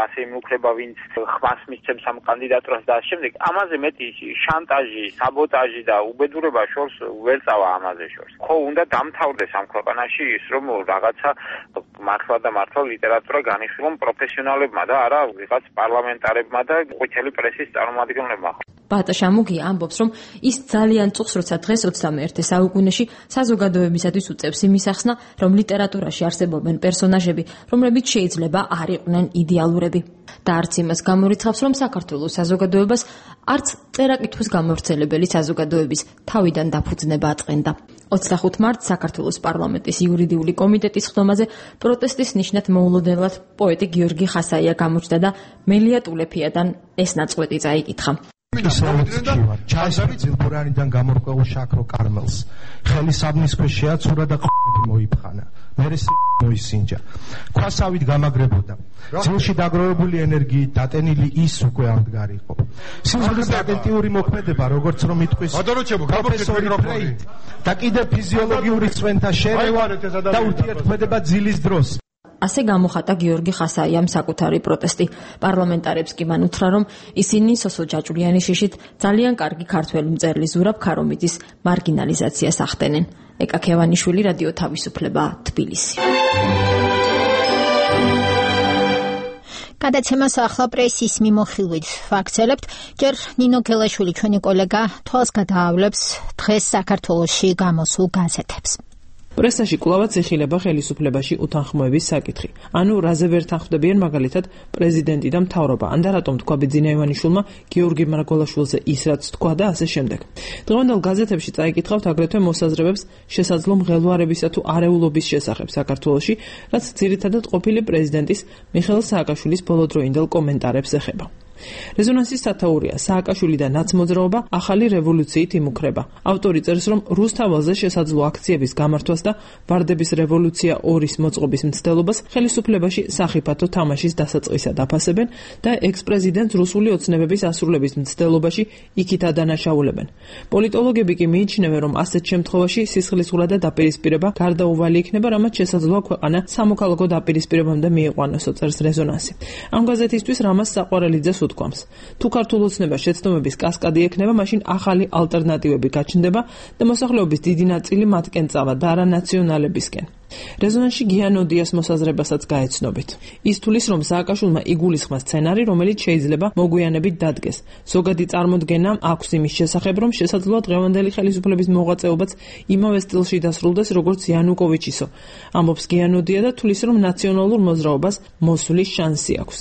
ასე იმუქრება, ვინც ხმას მისცემს ამ კანდიდატურას და შემდეგ ამაზე მეტი შანტაჟი, საბოტაჟი და უბედურება შორს ვერ წავა ამაზე შორს. ხო, უნდა დამთავრდეს ამ ქვეყანაში ის, რომ რაღაცა მართლა და მართლა ლიტერატურა განიხილონ პროფესიონალებმა და არა ვიღაც პარლამენტარებმა და ყვითელი პრესის წარმომადგენლებმა. პაატა შამუგია ამბობს, რომ ის ძალიან წუხს, როცა დღეს ოცდამეერთე საუკუნეში საზოგადოებისათვის უწევს იმის ახსნა, რომ ლიტერატურაში არსებობენ პერსონაჟები, რომლებიც შეიძლება არ იყვნენ იდეალურები. და არც იმას გამორიცხავს, რომ საქართველოს საზოგადოებას არც წერა-კითხვის გამავრცელებელი საზოგადოების თავიდან დაფუძნება აწყენდა. ოცდახუთ მარტს საქართველოს პარლამენტის იურიდიული კომიტეტის ხდომაზე პროტესტის ნიშნად მოულოდნელად პოეტი გიორგი ხასაია გამოჩნდა და მელია ტულეფიადან ეს ნაწყვეტი წაიკითხა. ჩაისვი ძილბურანიდან გამორკვეულ შაქრო კარმელს ხელი საბნის ქვეშ შეაცურა და ყ***ები მოიფხანა მერე მოისინჯა ქვასავით გამაგრებოდა ძილში დაგროვებული ენერგიით დატენილი ის უკვე ამდგარიყო სიმაღლის ატენტიური მოქმედება როგორც რომ იტყვის პროფესორი ფრეიდ და კიდევ ფიზიოლოგიური წვენთა შერევა და ურთიერთქმედება ძილის დროს ასე გამოხატა გიორგი ხასაიამ საკუთარი პროტესტი. პარლამენტარებს კი მან უთხრა, რომ ისინი სოსო ჯაჭვიანი შიშით ძალიან კარგი ქართველი მწერლის ზურაბ ქარომიძის მარგინალიზაციას ახდენენ. ეკა ქევანიშვილი, რადიო თავისუფლება, თბილისი. გადაცემას ახლა პრესის მიმოხილვით ვაგრძელებთ. ჯერ ნინო გელაშვილი, ჩვენი კოლეგა, თვალს გადაავლებს დღეს საქართველოში გამოსულ გაზეთებს. პრესაში კვლავაც ეხილება ხელისუფლებაში უთანხმოების საკითხი. ანუ რაზე ვერ თანხმდებიან მაგალითად პრეზიდენტი და მთავრობა. ან და რატომ თქვა ბიძინა ივანიშვილმა გიორგი მარგველაშვილზე ის რაც თქვა და ასე შემდეგ. დღევანდელ გაზეთებში წაიკითხავთ აგრეთვე მოსაზრებებს შესაძლო მღელვარებისა თუ არეულობის შესახებ საქართველოში, რაც ძირითადად ყოფილი პრეზიდენტის მიხეილ სააკაშვილის ბოლოდროინდელ კომენტარებს ეხება. რეზონანსის სათაურია სააკაშვილი და ნაცმოძრაობა ახალი რევოლუციით იმუქრება. ავტორი წერს, რომ რუსთაველზე შესაძლო აქციების გამართვას და ვარდების რევოლუცია ორის მოწყობის მცდელობას ხელისუფლებაში სახიფათო თამაშის დასაწყისად აფასებენ და ექს-პრეზიდენტს რუსული ოცნებების ასრულების მცდელობაში იქით ადანაშაულებენ. პოლიტოლოგები კი მიიჩნევენ, რომ ასეთ შემთხვევაში სისხლისღვრა და დაპირისპირება გარდაუვალი იქნება, რამაც შესაძლოა ქვეყანა სამოქალაქო დაპირისპირებამდე მიიყვანოსო, წერს რეზონანსი. ამ გაზეთისთვის რამაზ საყვარელიძეს უთქვამს. თუ ქართულ ოცნებას შეცდომების კასკადი ექნება, მაშინ ახალი ალტერნატივები გაჩნდება და მოსახლეობის დიდი ნაწილი მათკენ წავა და არა ნაციონალებისკენ. რეზონანსში გიანოდიას მოსაზრებასაც გაეცნობით. ის თulis, რომ სააკაშვილმა იგულისხმა სცენარი, რომელიც შეიძლება მოგვიანებით დადგეს. ზოგადი წარმოდგენა აქვს იმის შესახებ, რომ შესაძლოა დღევანდელი ხელისუფლების მოღვაწეობაც იმავე სტილში დასრულდეს, როგორც იანუკოვიჩისო. ამბობს გიანოდია და თulis, რომ ნაციონალურ მოძრაობას მოსვლის შანსი აქვს.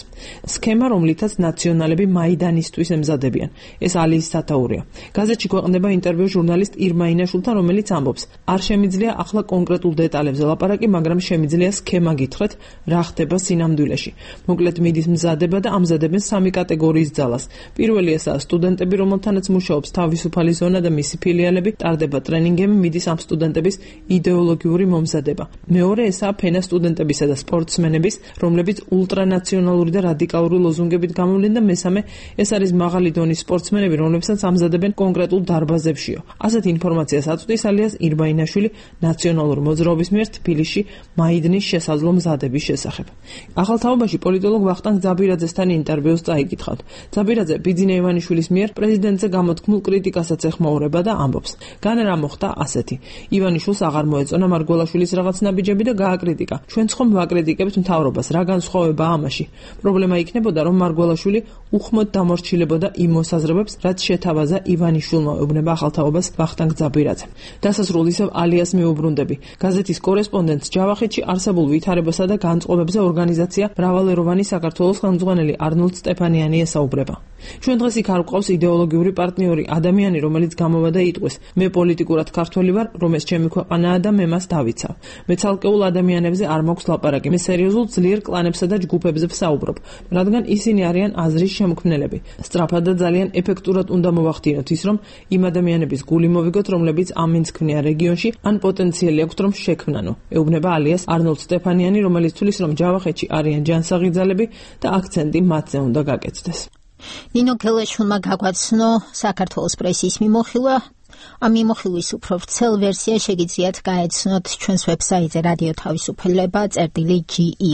სქემა, რომლითაც ნაციონალები მაიდანისთვის ემზადებიან. ეს ალიის სათაურია. გაზეთში ქვეყნდება ინტერვიუ ჟურნალისტ ირმა ინაშვილთან, რომელიც ამბობს: არ შემიძლია ახლა კონკრეტულ დეტალებზე ლაპარაკი, მაგრამ შემიძლია სქემა გითხრათ, რა ხდება სინამდვილეში. მოკლედ მიდის მზადება და ამზადებენ სამი კატეგორიის ძალას. პირველი ესაა სტუდენტები, რომელთანაც მუშაობს თავისუფალი ზონა და მისი ფილიალები, ტარდება ტრენინგები, მიდის ამ სტუდენტების იდეოლოგიური მომზადება. მეორე ესაა ფენა სტუდენტებისა და სპორტსმენების, რომლებიც ულტრანაციონალური და რადიკალური ლოზუნგებით გამოვლენ და მესამე ეს არის მაღალი დონის სპორტსმენები, რომლებსაც ამზადებენ კონკრეტულ დარბაზებშიო. ასეთ ინფორმაციას აწვდის ალიას ირმა ინაშვილი ნაციონალურ მოძრაობის მიერ თბილისში მაიდნის შესაძლო მზადების შესახებ. ახალ თაობაში პოლიტოლოგ ვახტანგ ძაბირაძესთან ინტერვიუს წაიკითხავთ. ძაბირაძე ბიძინა ივანიშვილის მიერ პრეზიდენტზე გამოთქმულ კრიტიკასაც ეხმაურება და ამბობს: "განა რა მოხდა ასეთი. ივანიშვილს აღარ მოეწონა მარგველაშვილის რაღაც ნაბიჯები და გააკრიტიკა. ჩვენც ხომ ვაკრიტიკებთ მთავრობას, რა განსხვავებაა ამაში? პრობლემა იქნებოდა, რომ მარგველაშვილი უხმოდ დამორჩილებოდა იმ მოსაზრებებს, რაც შეთავაზა ივანიშვილმა", ეუბნება ახალ თაობას ვახტანგ ძაბირაძე. დასასრულ ისევ ალიას მიუბრუნდები. გაზეთის კორესპონდენტს ჯავახეთში არსებულ ვითარებასა და განწყობებზე ორგანიზაცია მრავალეროვანი საქართველოს ხელმძღვანელი არნოლდ სტეფანიანი ესაუბრება. ჩვენ დღეს იქ არ გვყავს იდეოლოგიური პარტნიორი, ადამიანი, რომელიც გამოვა და იტყვის: "მე პოლიტიკურად ქართველი ვარ, რომ ეს ჩემი ქვეყანაა და მე მას დავიცავ. მე ცალკეულ ადამიანებზე არ მაქვს ლაპარაკი, მე სერიოზულ ძლიერ კლანებსა და ჯგუფებზე ვსაუბრობ, რადგან ისინი არიან აზრის შემქმნელები. სწრაფად და ძალიან ეფექტურად უნდა მოვახდინოთ ის, რომ იმ ადამიანების გული მოვიგოთ, რომლებიც ამინს ქმნიან რეგიონში, ან პოტენციალი აქვთ, რომ შექმნანო", ეუბნება ალიას არნოლდ სტეფანიანი, რომელიც თulis, რომ ჯავახეთში არიან ჯანსაღი ძალები და აქცენტი მათზე უნდა გაკეთდეს. ნინო გელაშვილმა გაგვაცნო საქართველოს პრესის მიმოხილვა. ამ მიმოხილვის უფრო ვრცელ ვერსია შეგიძლიათ გაეცნოთ ჩვენს ვებსაიტზე რადიო თავისუფლება წერტილი ჯი ი.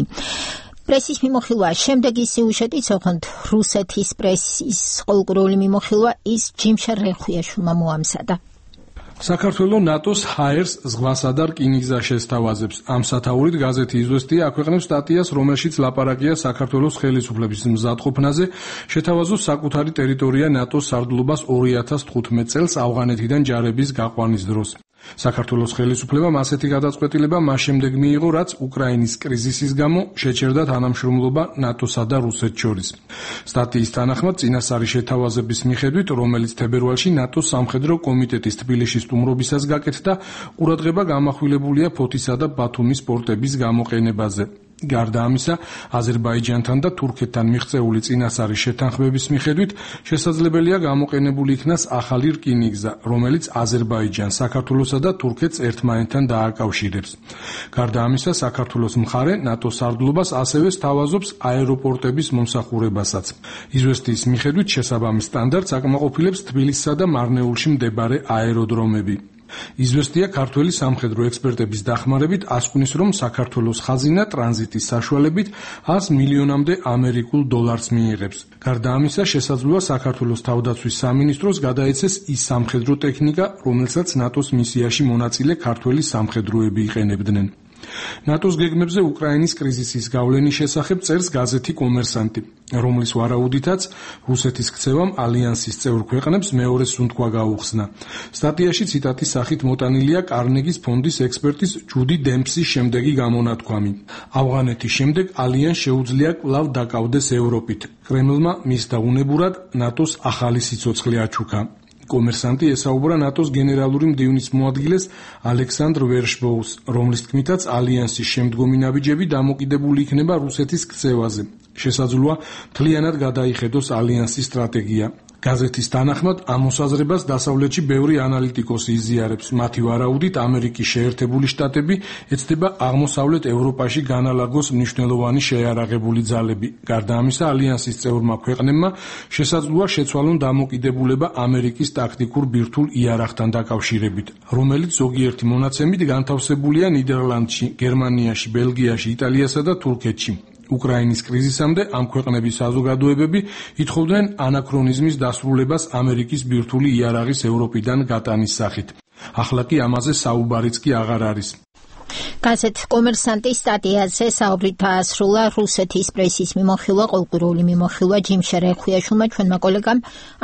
პრესის მიმოხილვა შემდეგი სიუჟეტით, ოღონდ რუსეთის პრესის ყოველკვირეული მიმოხილვა ის ჯიმშარ რენხვიაშვილმა მოამზადა. საქართველოს ნატოს ჰაერს ზღვასა და რკინიგზა შესთავაზებს. ამ სათაურით გაზეთი „იზვესტია“ აქვეყნებს სტატიას, რომელშიც ლაპარაკია საქართველოს ხელისუფლების მზადყოფნაზე შეთავაზოს საკუთარი ტერიტორია ნატოს სარდლობას ორი ათას თხუთმეტ წელს ავღანეთიდან ჯარების გაყვანის დროს. საქართველოს ხელისუფლებამ ასეთი გადაწყვეტილება მას შემდეგ მიიღო, რაც უკრაინის კრიზისის გამო შეჩერდა თანამშრომლობა ნატოსა და რუსეთს შორის. სტატიის თანახმად, წინასწარი შეთავაზების მიხედვით, რომელიც თებერვალში ნატოს სამხედრო კომიტეტის თბილისში სტუმრობისას გაკეთდა, ყურადღება გამახვილებულია ფოთისა და ბათუმის პორტების გამოყენებაზე. გარდა ამისა, აზერბაიჯანთან და თურქეთთან მიღწეული წინასწარი შეთანხმების მიხედვით შესაძლებელია გამოყენებული იქნას ახალი რკინიგზა, რომელიც აზერბაიჯანს, საქართველოსა და თურქეთს ერთმანეთთან დააკავშირებს. გარდა ამისა, საქართველოს მხარე ნატოს სარდლობას ასევე სთავაზობს აეროპორტების მომსახურებასაც. იზვესტიის მიხედვით შესაბამის სტანდარტს აკმაყოფილებს თბილისსა და მარნეულში მდებარე აეროდრომები. იზვესტია ქართველი სამხედრო ექსპერტების დახმარებით ასკვნის, რომ საქართველოს ხაზინა ტრანზიტის საშუალებით ას მილიონამდე ამერიკულ დოლარს მიიღებს. გარდა ამისა, შესაძლოა საქართველოს თავდაცვის სამინისტროს გადაეცეს ის სამხედრო ტექნიკა, რომელსაც ნატოს მისიაში მონაწილე ქართველი სამხედროები იყენებდნენ. ნატოს გეგმებზე უკრაინის კრიზისის გავლენის შესახებ წერს გაზეთი კომერსანტი, რომლის ვარაუდითაც რუსეთის ქცევამ ალიანსის წევრ ქვეყნებს მეორე სუნთქვა გაუხსნა. სტატიაში ციტატის სახით მოტანილია კარნეგის ფონდის ექსპერტის ჯუდი დემპსის შემდეგი გამონათქვამი: ავღანეთის შემდეგ ალიანს შეუძლია კვლავ დაკავდეს ევროპით. კრემლმა მის დაუნებურად ნატოს ახალი სიცოცხლე აჩუქა. კომერსანტი ესაუბრა ნატოს გენერალური მდივნის მოადგილეს ალექსანდრ ვერშბოუს, რომლის თქმითაც ალიანსის შემდგომი ნაბიჯები დამოკიდებული იქნება რუსეთის ქცევაზე. შესაძლოა მთლიანად გადაიხედოს ალიანსის სტრატეგია. გაზეთის თანახმად ამ მოსაზრებას დასავლეთში ბევრი ანალიტიკოსი იზიარებს. მათი ვარაუდით, ამერიკის შეერთებული შტატები ეცდება აღმოსავლეთ ევროპაში განალაგოს მნიშვნელოვანი შეიარაღებული ძალები. გარდა ამისა, ალიანსის წევრმა ქვეყნებმა შესაძლოა შეცვალონ დამოკიდებულება ამერიკის ტაქტიკურ ბირთვულ იარაღთან დაკავშირებით, რომელიც ზოგიერთი მონაცემით განთავსებულია ნიდერლანდში, გერმანიაში, ბელგიაში, იტალიასა და თურქეთში. უკრაინის კრიზისამდე ამ ქვეყნების საზოგადოებები ითხოვდნენ ანაქრონიზმის დასრულებას ამერიკის ბირთვული იარაღის ევროპიდან გატანის სახით. ახლა კი ამაზე საუბარიც კი აღარ არის. გაზეთ კომერსანტის სტატიაზე საუბრით დაასრულა რუსეთის პრესის მიმოხილვა, კულტურული მიმოხილვა ჯიმ შერეხუიაშვილმა, ჩვენმა კოლეგამ.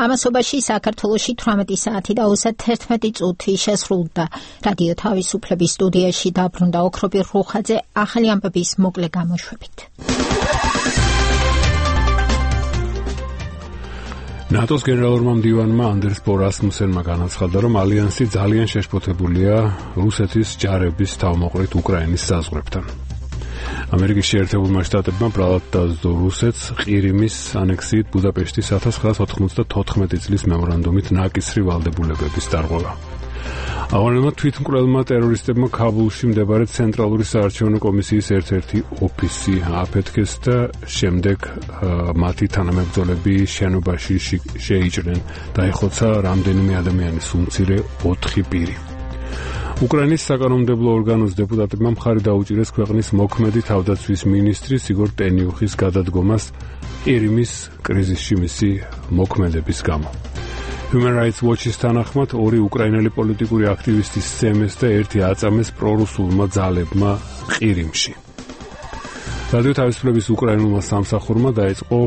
ამასობაში საქართველოში თვრამეტი საათი და ოცდაერთმეტი წუთი შესრულდა. რადიო თავისუფლების სტუდიაში დაბრუნდა ოქროპირ რუხაძე ახალი ამბების მოკლე გამოშვებით. ნატოს გენერალურმა მდივანმა ანდერს ბო რასმუსენმა განაცხადა, რომ ალიანსი ძალიან შეშფოთებულია რუსეთის ჯარების თავმოყრით უკრაინის საზღვრებთან. ამერიკის შეერთებულმა შტატებმა ბრალად დაასდო რუსეთს ყირიმის ანექსიით ბუდაპეშტის ათას ცხრაას ოთხმოცდათოთხმეტი წლის მემორანდუმით ნაკისრი ვალდებულებების დარღვევა. აღნიშნულმა თვითმკვლელმა ტერორისტებმა ქაბულში მდებარე ცენტრალური საარჩევნო კომისიის ერთ-ერთი ოფისი აფეთქეს და შემდეგ მათი თანამებრძოლები შენობაში შეიჭრნენ. დაიხოცა რამდენიმე ადამიანის უმცირე ოთხი პირი. უკრაინის საკანონმდებლო ორგანოს დეპუტატებმა მხარი დაუჭირეს ქვეყნის მოქმედი თავდაცვის მინისტრის იგორ ტენიუხის გადადგომას ყირიმის კრიზისში მისი მოქმედების გამო. Human Rights Watch-ის თანახმად ორი უკრაინელი პოლიტიკური აქტივისტის სცემეს და ერთი აწამეს პრორუსულმა ძალებმა ყირიმში. რადიო თავისუფლების უკრაინულმა სამსახურმა დაიწყო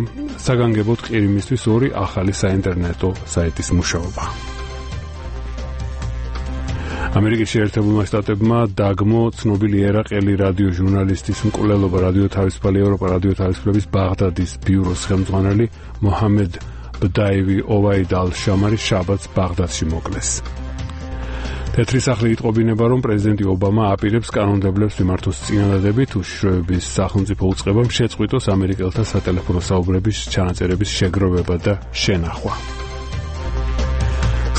საგანგებოდ ყირიმისთვის ორი ახალი საინტერნეტო საიტის მუშაობა. ამერიკის შეერთებულმა შტატებმა დაგმო ცნობილი ერაყელი რადიო ჟურნალისტის მკვლელობა რადიო თავისუფალი ევროპა რადიო თავისუფლების ბაღდადის ბიუროს ხელმძღვანელი მოჰამედ ბდაივი ოვაიდ ალ-შამარი შაბათს ბაღდადში მოკლეს. თეთრი სახლი იტყობინება, რომ პრეზიდენტი ობამა აპირებს კანონმდებლებს მიმართოს წინადადებით უშიშროების სახელმწიფო უწყებამ შეწყვიტოს ამერიკელთა სატელეფონო საუბრების ჩანაწერების შეგროვება და შენახვა.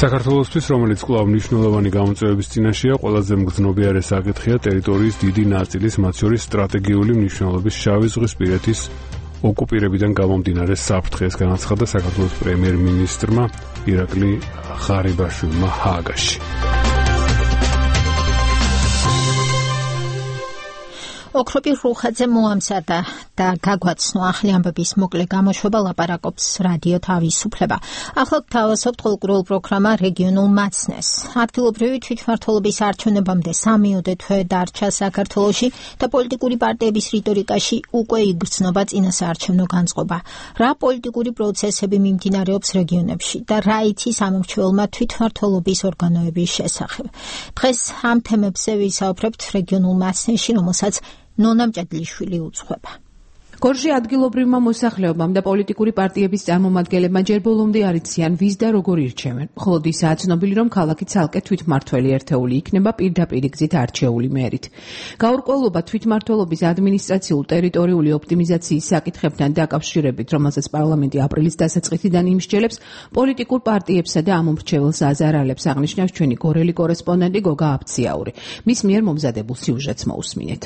საქართველოსთვის, რომელიც კვლავ მნიშვნელოვანი გამოწვევების წინაშეა, ყველაზე მგრძნობიარე საკითხია ტერიტორიის დიდი ნაწილის, მათ შორის სტრატეგიული მნიშვნელობის შავი ზღვისპირეთის ოკუპირებიდან გამომდინარე საფრთხეს, განაცხადა საქართველოს პრემიერ-მინისტრმა ირაკლი ღარიბაშვილმა ჰააგაში. ოქროპირ რუხაძე მოამზადა და გაგვაცნო ახალი ამბების მოკლე გამოშვება, ლაპარაკობს რადიო თავისუფლება. ახლა გთავაზობთ კულტურულ პროგრამა რეგიონულ მაცნეს. ადგილობრივი თვითმმართველობის არჩევნებამდე სამიოდე თვე დარჩა საქართველოში და პოლიტიკური პარტიების რიტორიკაში უკვე იგრძნობა წინასაარჩევნო განწყობა. რა პოლიტიკური პროცესები მიმდინარეობს რეგიონებში და რა იცის ამორჩეულმა თვითმმართველობის ორგანოების შესახებ. დღეს ამ თემებზე ვისაუბრებთ რეგიონულ მაცნეში, რომელსაც ნონა მჭედლიშვილი უძღვება. გორში ადგილობრივმა მოსახლეობამ და პოლიტიკური პარტიების წარმომადგენლებმა ჯერ ბოლომდე არ იციან ვის და როგორ ირჩევენ. მხოლოდ ისაა ცნობილი, რომ ქალაქი ცალკე თვითმმართველი ერთეული იქნება პირდაპირ გზით არჩეული მერით. გაურკვევლობა თვითმმართველობის ადმინისტრაციულ-ტერიტორიული ოპტიმიზაციის საკითხებთან დაკავშირებით, რომელსაც პარლამენტი აპრილის დასაწყისიდან იმსჯელებს, პოლიტიკურ პარტიებსა და ამომრჩეველს აზარალებს, აღნიშნავს ჩვენი გორელი კორესპონდენტი გოგა აფციაური. მის მიერ მომზადებულ სიუჟეტს მოусმინეთ.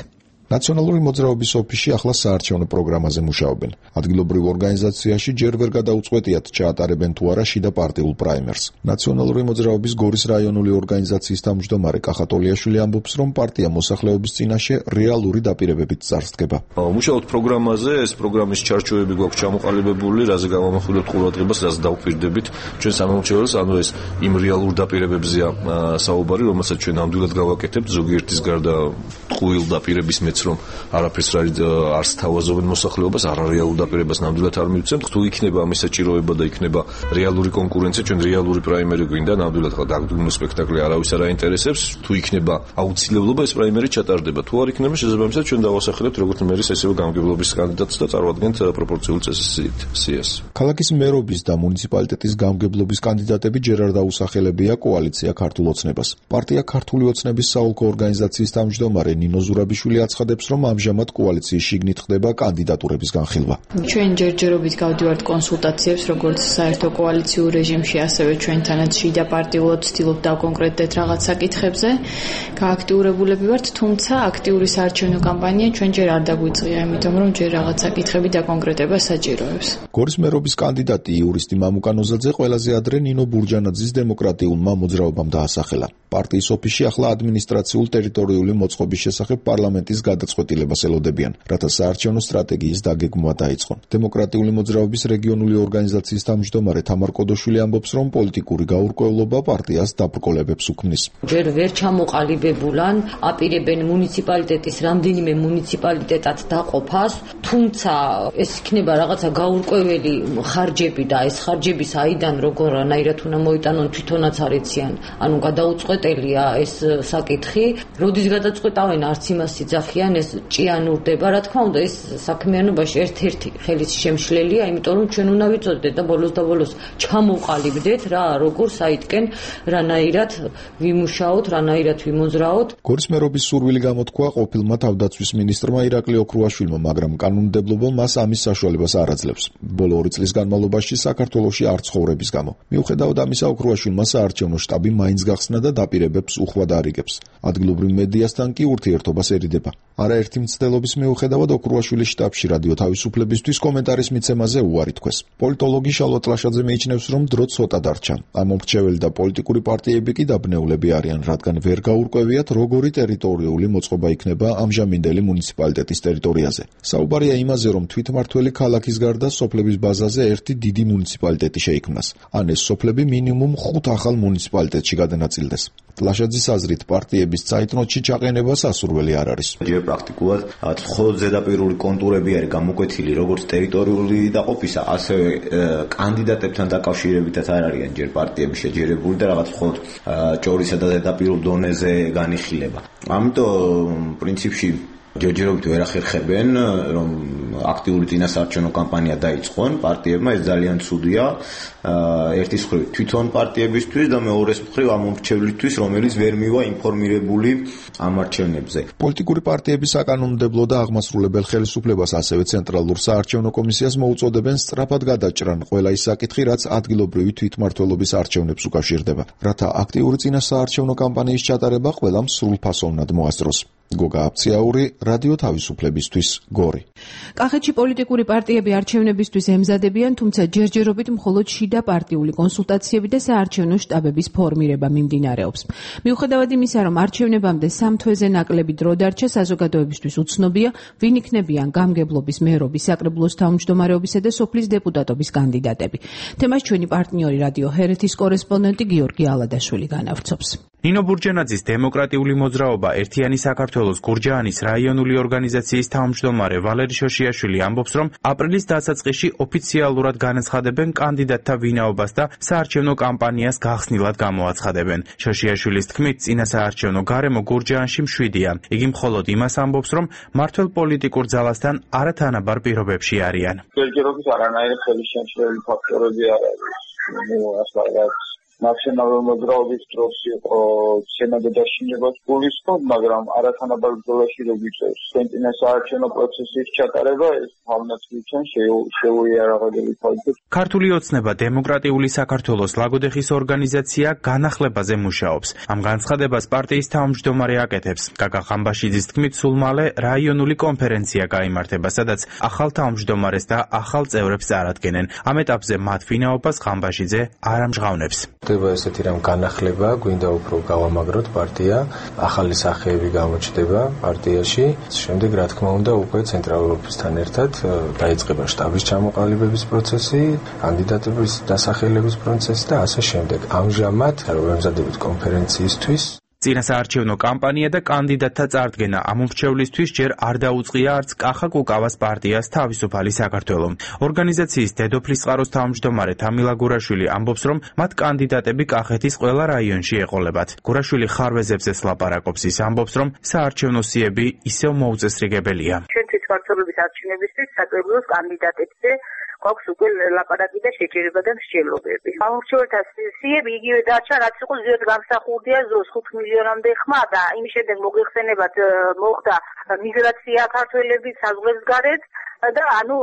ნაციონალური მოძრაობის ოფისში ახლა საარჩევნო პროგრამაზე მუშაობენ. ადგილობრივ ორგანიზაციაში ჯერ ვერ გადაუწყვეტიათ ჩაატარებენ თუ არა შიდა პარტიულ პრაიმერს. ნაციონალური მოძრაობის გორის რაიონული ორგანიზაციის თავმჯდომარე კახატოლიაშვილი ამბობს, რომ პარტია მოსახლეობის წინაშე რეალური დაპირებებით წარსდგება. მუშაობთ პროგრამაზე, ეს პროგრამის ჩარჩოები გვაქვს ჩამოყალიბებული, რაზე გავამახვილებთ ყურადღებას, რაზე დავუპირდებით ჩვენ სამომრჩეველს, ანუ ეს იმ რეალურ დაპირებებზეა საუბარი, რომელსაც ჩვენ ნამდვილად გავაკეთებთ, ზოგიერთის გარდა ტყუილ დაპირების რომ არაფერს არც თავაზობენ მოსახლეობას, არარეალურ დაპირებას ნამდვილად არ მივცემთ. თუ იქნება ამის საჭიროება და იქნება რეალური კონკურენცია, ჩვენ რეალური პრაიმერი გვინდა, ნამდვილად ხა დაგდუმნო სპექტაკლი არავის არ აინტერესებს. თუ იქნება აუცილებლობა, ეს პრაიმერი ჩატარდება. თუ არ იქნება, შესაბამისად ჩვენ დავასახელებთ როგორც მერის, ესევე გამგებლობის კანდიდატს და წარვადგენთ პროპორციულ წესსიას. ქალაქის მერობის და მუნიციპალიტეტის გამგებლობის კანდიდატები ჯერ არ დაუსახელებია კოალიცია ქართულ ოცნებას. პარტია ქართული ოცნების საოლქო ორგანიზაციის თავმჯდომარე ნინო ზურაბიშვილი აცხადებს, რომ ამჟამად კოალიციის შიგნით ხდება კანდიდატურების განხილვა. ჩვენ ჯერჯერობით გავდივართ კონსულტაციებს, როგორც საერთო კოალიციურ რეჟიმში, ასევე ჩვენთანაც შიდა პარტიულად ვცდილობთ დავკონკრეტდეთ რაღაც საკითხებზე. გააქტიურებულები ვართ, თუმცა აქტიური საარჩევნო კამპანია ჩვენ ჯერ არ დაგვიწყია, იმიტომ რომ ჯერ რაღაც საკითხები დაკონკრეტება საჭიროებს. გორის მერობის კანდიდატი იურისტი მამუკა ნოზაძე ყველაზე ადრე ნინო ბურჯანაძის დემოკრატიულმა მოძრაობამ დაასახელა. პარტიის ოფისში ახლა ადმინისტრაციულ-ტერიტორიული მოწყობის შესახებ პარლამენტის გადაწყვეტილებას ელოდებიან, რათა საარჩევნო სტრატეგიის დაგეგმვა დაიწყონ. დემოკრატიული მოძრაობის რეგიონული ორგანიზაციის თავმჯდომარე თამარ კოდოშვილი ამბობს, რომ პოლიტიკური გაურკვევლობა პარტიას დაბრკოლებებს უქმნის. ჯერ ვერ ჩამოყალიბებულან აპირებენ მუნიციპალიტეტის რამდენიმე მუნიციპალიტეტად დაყოფას, თუმცა ეს იქნება რაღაცა გაურკვეველი ხარჯები და ეს ხარჯები საიდან როგორანაირად უნდა მოიტანონ თვითონაც არ იციან. ანუ გადაუწყვეტელია ეს საკითხი, როდის გადაწყვეტავენ არც იმას იძახიან, ეს ჭიანურდება, რა თქმა უნდა, ეს საქმიანობაში ერთ-ერთი ხელის შემშლელია, იმიტომ რომ ჩვენ უნდა ვიცოდეთ და ბოლოს და ბოლოს ჩამოვყალიბდეთ რა, როგორ საიტკენ რანაირად ვიმუშაოთ, რანაირად ვიმოძრაოთ. გორის მერობის სურვილი გამოთქვა ყოფილმა თავდაცვის მინისტრმა ირაკლი ოქრუაშვილმა, მაგრამ კანონმდებლობა მას ამის საშუალებას არ აძლევს. ბოლო ორი წლის განმავლობაში საქართველოში არ ცხოვრების გამო. მიუხედავად ამისა, ოქრუაშვილმა საარჩევნო შტაბი მაინც გახსნა და დაპირებებს უხვად არიგებს. ადგილობრივ მედიასთან კი ურთიერთობას ერიდება. არაერთი მცდელობის მიუხედავად ოქრუაშვილის შტაბში რადიო თავისუფლებისთვის კომენტარის მიცემაზე უარი თქვეს. პოლიტოლოგი შალვა ტლაშაძე მიიჩნევს, რომ დრო ცოტა დარჩა. ამომრჩეველი და პოლიტიკური პარტიები კი დაბნეულები არიან, რადგან ვერ გაურკვევიათ, როგორი ტერიტორიული მოწყობა იქნება ამჟამინდელი მუნიციპალიტეტის ტერიტორიაზე. საუბარია იმაზე, რომ თვითმმართველი ქალაქის გარდა სოფლების ბაზაზე ერთი დიდი მუნიციპალიტეტი შეიქმნას. ან ეს სოფლები მინიმუმ ხუთ ახალ მუნიციპალიტეტში გადანაწილდეს. ტლაშაძის აზრით, პარტიების ცაიტნოტში ჩაყენება სასურველი არ არის. ჯერ პრაქტიკულად მხოლოდ ზედაპირული კონტურები არის გამოკვეთილი, როგორც ტერიტორიული დაყოფისა, ასევე კანდიდატებთან დაკავშირებითაც არ არიან ჯერ პარტიები შეჯერებული და რაღაც მხოლოდ ჭორისა და ზედაპირულ დონეზე განიხილება. ამიტომ პრინციპში ჯერჯერობით ვერ ახერხებენ, რომ აქტიური წინასაარჩევნო კამპანია დაიწყონ პარტიებმა, ეს ძალიან ცუდია. ერთის მხრივ თვითონ პარტიებისთვის და მეორეს მხრივ ამომრჩევლისთვის, რომელიც ვერ მივა ინფორმირებული ამ არჩევნებზე. პოლიტიკური პარტიების საკანონმდებლო და აღმასრულებელ ხელისუფლებას, ასევე ცენტრალურ საარჩევნო კომისიას მოუწოდებენ სწრაფად გადაჭრან ყველა ის საკითხი, რაც ადგილობრივი თვითმმართველობის არჩევნებს უკავშირდება, რათა აქტიური წინასაარჩევნო კამპანიის ჩატარება ყველამ სრულფასოვნად მოასწროს. გოგა აფციაური, რადიო თავისუფლებისთვის, გორი. კახეთში პოლიტიკური პარტიები არჩევნებისთვის ემზადებიან, თუმცა ჯერჯერობით მხოლოდ შიდა პარტიული კონსულტაციები და საარჩევნო შტაბების ფორმირება მიმდინარეობს. მიუხედავად იმისა, რომ არჩევნებამდე სამ თვეზე ნაკლები დრო დარჩა, საზოგადოებისთვის უცნობია, ვინ იქნებიან გამგებლობის, მერობის, საკრებულოს თავმჯდომარეობისა და სოფლის დეპუტატობის კანდიდატები. თემას ჩვენი პარტნიორი რადიო ჰერეთის კორესპონდენტი გიორგი ალადაშვილი განავრცობს. ნინო ბურჯენაძის დემოკრატიული მოძრაობა ერთიანი საქართველოს გურჯაანის რაიონული ორგანიზაციის თავმჯდომარე ვალერი შოშიაშვილი ამბობს, რომ აპრილის დასაწყისში ოფიციალურად განაცხადებენ კანდიდატთა ვინაობას და საარჩევნო კამპანიას გახსნილად გამოაცხადებენ. შოშიაშვილის თქმით, წინასაარჩევნო გარემო გურჯაანში მშვიდია. იგი მხოლოდ იმას ამბობს, რომ მართველ პოლიტიკურ ძალასთან არათანაბარ პირობებში არიან. ჯერჯერობით არანაირი ხელისშემშლელი ფაქტორები არ არის. ნუ ასლა ნაციონალური მოძრაობის დროს იყო სენატი დაშინებას გულისხმობ, მაგრამ არათანაბარ ბრძოლაში რო ვიწევს საარჩევნო პროცესის ჩატარება, ეს თავნაც ვიცენ შეუიარაღებელი ფაქტია. ქართული ოცნება დემოკრატიული საქართველოს ლაგოდეხის ორგანიზაცია განახლებაზე მუშაობს. ამ განცხადებას პარტიის თავმჯდომარე აკეთებს. გაგა ხამბაშიძის თქმით, სულ მალე რაიონული კონფერენცია გაიმართება, სადაც ახალ თავმჯდომარეს და ახალ წევრებს წარადგენენ. ამ ეტაპზე მათ ვინაობას ხამბაშიძე არ ამჟღავნებს. ხდება ესეთი რამ განახლება, გვინდა უფრო გავამაგროთ პარტია, ახალი სახეები გამოჩნდება პარტიაში. შემდეგ რა თქმა უნდა უკვე ცენტრალურ ოფისთან ერთად დაიწყება შტაბის ჩამოყალიბების პროცესი, კანდიდატების დასახელების პროცესი და ასე შემდეგ. ამჟამად რომ ემზადებით კონფერენციისთვის წინასაარჩევნო კამპანია და კანდიდატთა წარდგენა ამ მრჩევლისთვის ჯერ არ დაუწყია არც კახა კუკავას პარტიას თავისუფალი საქართველო. ორგანიზაციის დედოფლის წყაროს თავმჯდომარე თამილა გურაშვილი ამბობს, რომ მათ კანდიდატები კახეთის ყველა რაიონში ეყოლებათ. გურაშვილი ხარვეზებზე ლაპარაკობს, ის ამბობს, რომ საარჩევნო სიები ისევ მოუწესრიგებელია. ჩვენ თვითმმართველობის არჩევნებისთვის საკრებულოს კანდიდატებზე გვაქვს უკვე ლაპარაკი და შეჯერება და მსჯელობები. ამორჩეულთა სიები იგივე დარჩა, რაც იყო ზუსტ გამსახურდია ზოს ხუთ მილიონამდე ხმა და იმის შემდეგ მოგეხსენებათ მოხდა მიგრაცია ქართველების საზღვრებს გარეთ და ანუ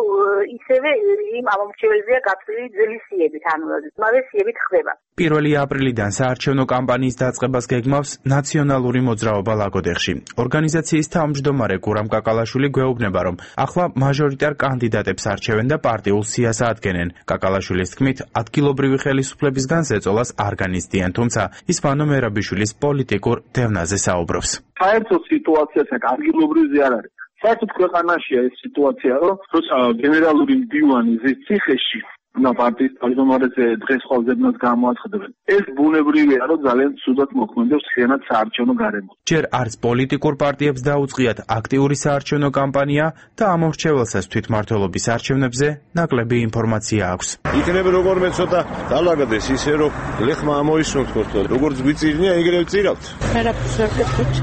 ისევე იმ ამორჩეველზეა გაწვილი ძველი სიებით, ანუ მაგ სიებით ხდება. პირველი აპრილიდან საარჩევნო კამპანიის დაწყებას გეგმავს ნაციონალური მოძრაობა ლაგოდეხში. ორგანიზაციის თავმჯდომარე გურამ კაკალაშვილი გვეუბნება, რომ ახლა მაჟორიტარ კანდიდატებს არჩევენ და პარტიულ სიას ადგენენ. კაკალაშვილის თქმით, ადგილობრივი ხელისუფლებისგან ზეწოლას არ განიცდიან, თუმცა ის ვანო მერაბიშვილის პოლიტიკურ დევნაზე საუბრობს. საერთოდ სიტუაციასაც ადგილობრივზე არ არის. საერთოდ ქვეყანაშია ეს სიტუაცია, რომ როცა გენერალური მდივანი ზის ციხეში და პარტიის თავმჯდომარეზე დღეს ყოველდღიურად გამოაცხადებენ. ეს ბუნებრივია, რომ ძალიან ცუდად მოქმედებს ხიანად საარჩევნო გარემო. ჯერ არც პოლიტიკურ პარტიებს დაუწყიათ აქტიური საარჩევნო კამპანია და ამორჩეველსაც თვითმმართველობის არჩევნებზე ნაკლები ინფორმაცია აქვს. იქნება როგორმე ცოტა დალაგდეს ისე, რომ ლეხმა ამოისუნთ ხოლმე. როგორც გვიწირნია, ეგრევე წირავთ. არაფერს არ გეტყვით.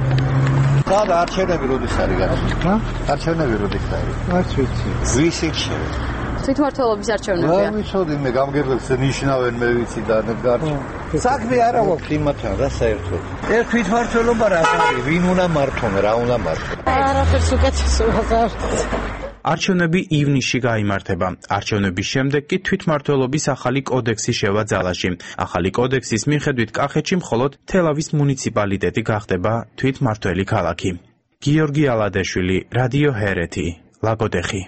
და არჩევნები როდის არის გასული? არჩევნები როდის არის? არც ვიცი. ვის იქნება? თვითმმართველობის არჩევნებია. რა ვიცოდი მე გამგებლებს ნიშნავენ მე ვიცი და ნებგარჩ. საქმე არა გვაქვს იმათთან რა საერთოდ. ეს თვითმმართველობა რა არის? ვინ უნდა მართონ, რა უნდა მართონ? არაფერს უკეთესო აღარ. არჩევნები ივნისში გაიმართება. არჩევნების შემდეგ კი თვითმმართველობის ახალი კოდექსი შევა ძალაში. ახალი კოდექსის მიხედვით კახეთში მხოლოდ თელავის მუნიციპალიტეტი გახდება თვითმმართველი ქალაქი. გიორგი ალადეშვილი, რადიო ჰერეთი, ლაგოდეხი.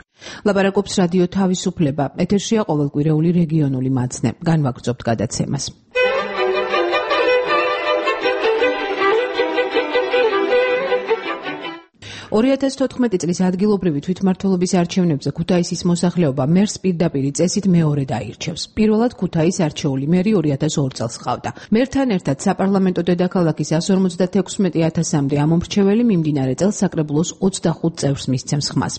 ლაპარაკობს რადიო თავისუფლება. ეთერშია ყოველკვირეული რეგიონული მაცნე. განვაგრძობთ გადაცემას. ორი ათას თოთხმეტი წლის ადგილობრივი თვითმმართველობის არჩევნებზე ქუთაისის მოსახლეობა მერს პირდაპირ წესით მეორედ აირჩევს. პირველად ქუთაის არჩეული მერი ორი ათას ორ წელს ჰყავდა. მერთან ერთად საპარლამენტო დედაქალაქის εκατს ორმოცდათექვსმეტი ათასამდე ამომრჩეველი მიმდინარე წელს საკრებულოს ოცდახუთ წევრს მისცემს ხმას.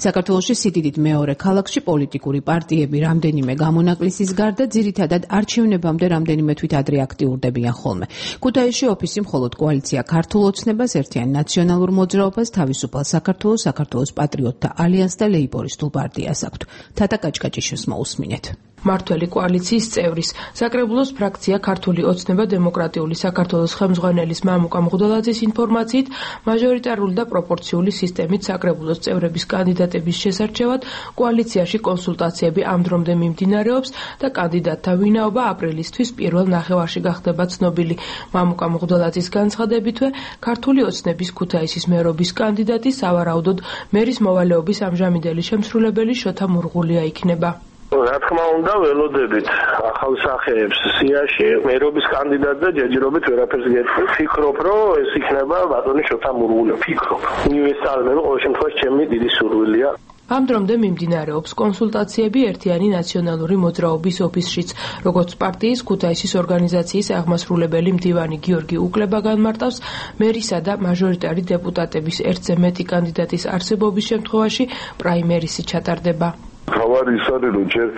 საქართველოში სიდიდით მეორე ქალაქში პოლიტიკური პარტიები რამდენიმე გამონაკლისის გარდა ძირითადად არჩევნებამდე რამდენიმე თვით ადრე აქტიურდებიან ხოლმე. ქუთაისში ოფისი მხოლოდ კოალიცია ქართულ ოცნებას, ერთიან ნაციონალურ მოძრაობას, თავისუფალ საქართველოს, საქართველოს პატრიოტთა ალიანსს და ლეიბორისტულ პარტიას აქვთ. თათა კაჭკაჭიშვილს მოусმინეთ. მართველი კოალიციის წევრის საკრებულოს ფრაქცია ქართული ოცნება დემოკრატიული საქართველოს ხელმძღვანელის მამუკა მღვდელაძის ინფორმაციით მაჟორიტარული და პროპორციული სისტემით საკრებულოს წევრების კანდიდატების შესარჩევად კოალიციაში კონსულტაციები ამ დრომდე მიმდინარეობს და კანდიდატთა ვინაობა აპრილისთვის პირველ ნახევარში გახდება ცნობილი. მამუკა მღვდელაძის განცხადებითვე ქართული ოცნების ქუთაისის მერობის კანდიდატი სავარაუდოდ მერის მოვალეობის ამჟამინდელი შემსრულებელი შოთა მურღულია იქნება. რა თქმა უნდა ველოდებით ახალ სახეებს სიაში მერობის კანდიდატზე ჯერჯერობით ვერაფერს გეტყვი. ფიქრობ, რომ ეს იქნება ბატონი შოთა მურღული. ფიქრობ. უნივერსალურია, ყოველ შემთხვევაში ჩემი დიდი სურვილია. ამ დრომდე მიმდინარეობს კონსულტაციები ერთიანი ნაციონალური მოძრაობის ოფისშიც, როგორც პარტიის ქუთაისის ორგანიზაციის აღმასრულებელი მდივანი გიორგი უკლება განმარტავს, მერისა და მაჟორიტარი დეპუტატების ერთზე მეტი კანდიდატის არსებობის შემთხვევაში პრაიმერისი ჩატარდება. თავარი ის არის, რომ ჯერ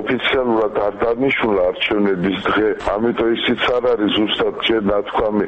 ოფიციალურად არ დანიშნულა არჩევნების დღე, ამიტომ ისიც არ არის ზუსტად ჯერ ნათქვამი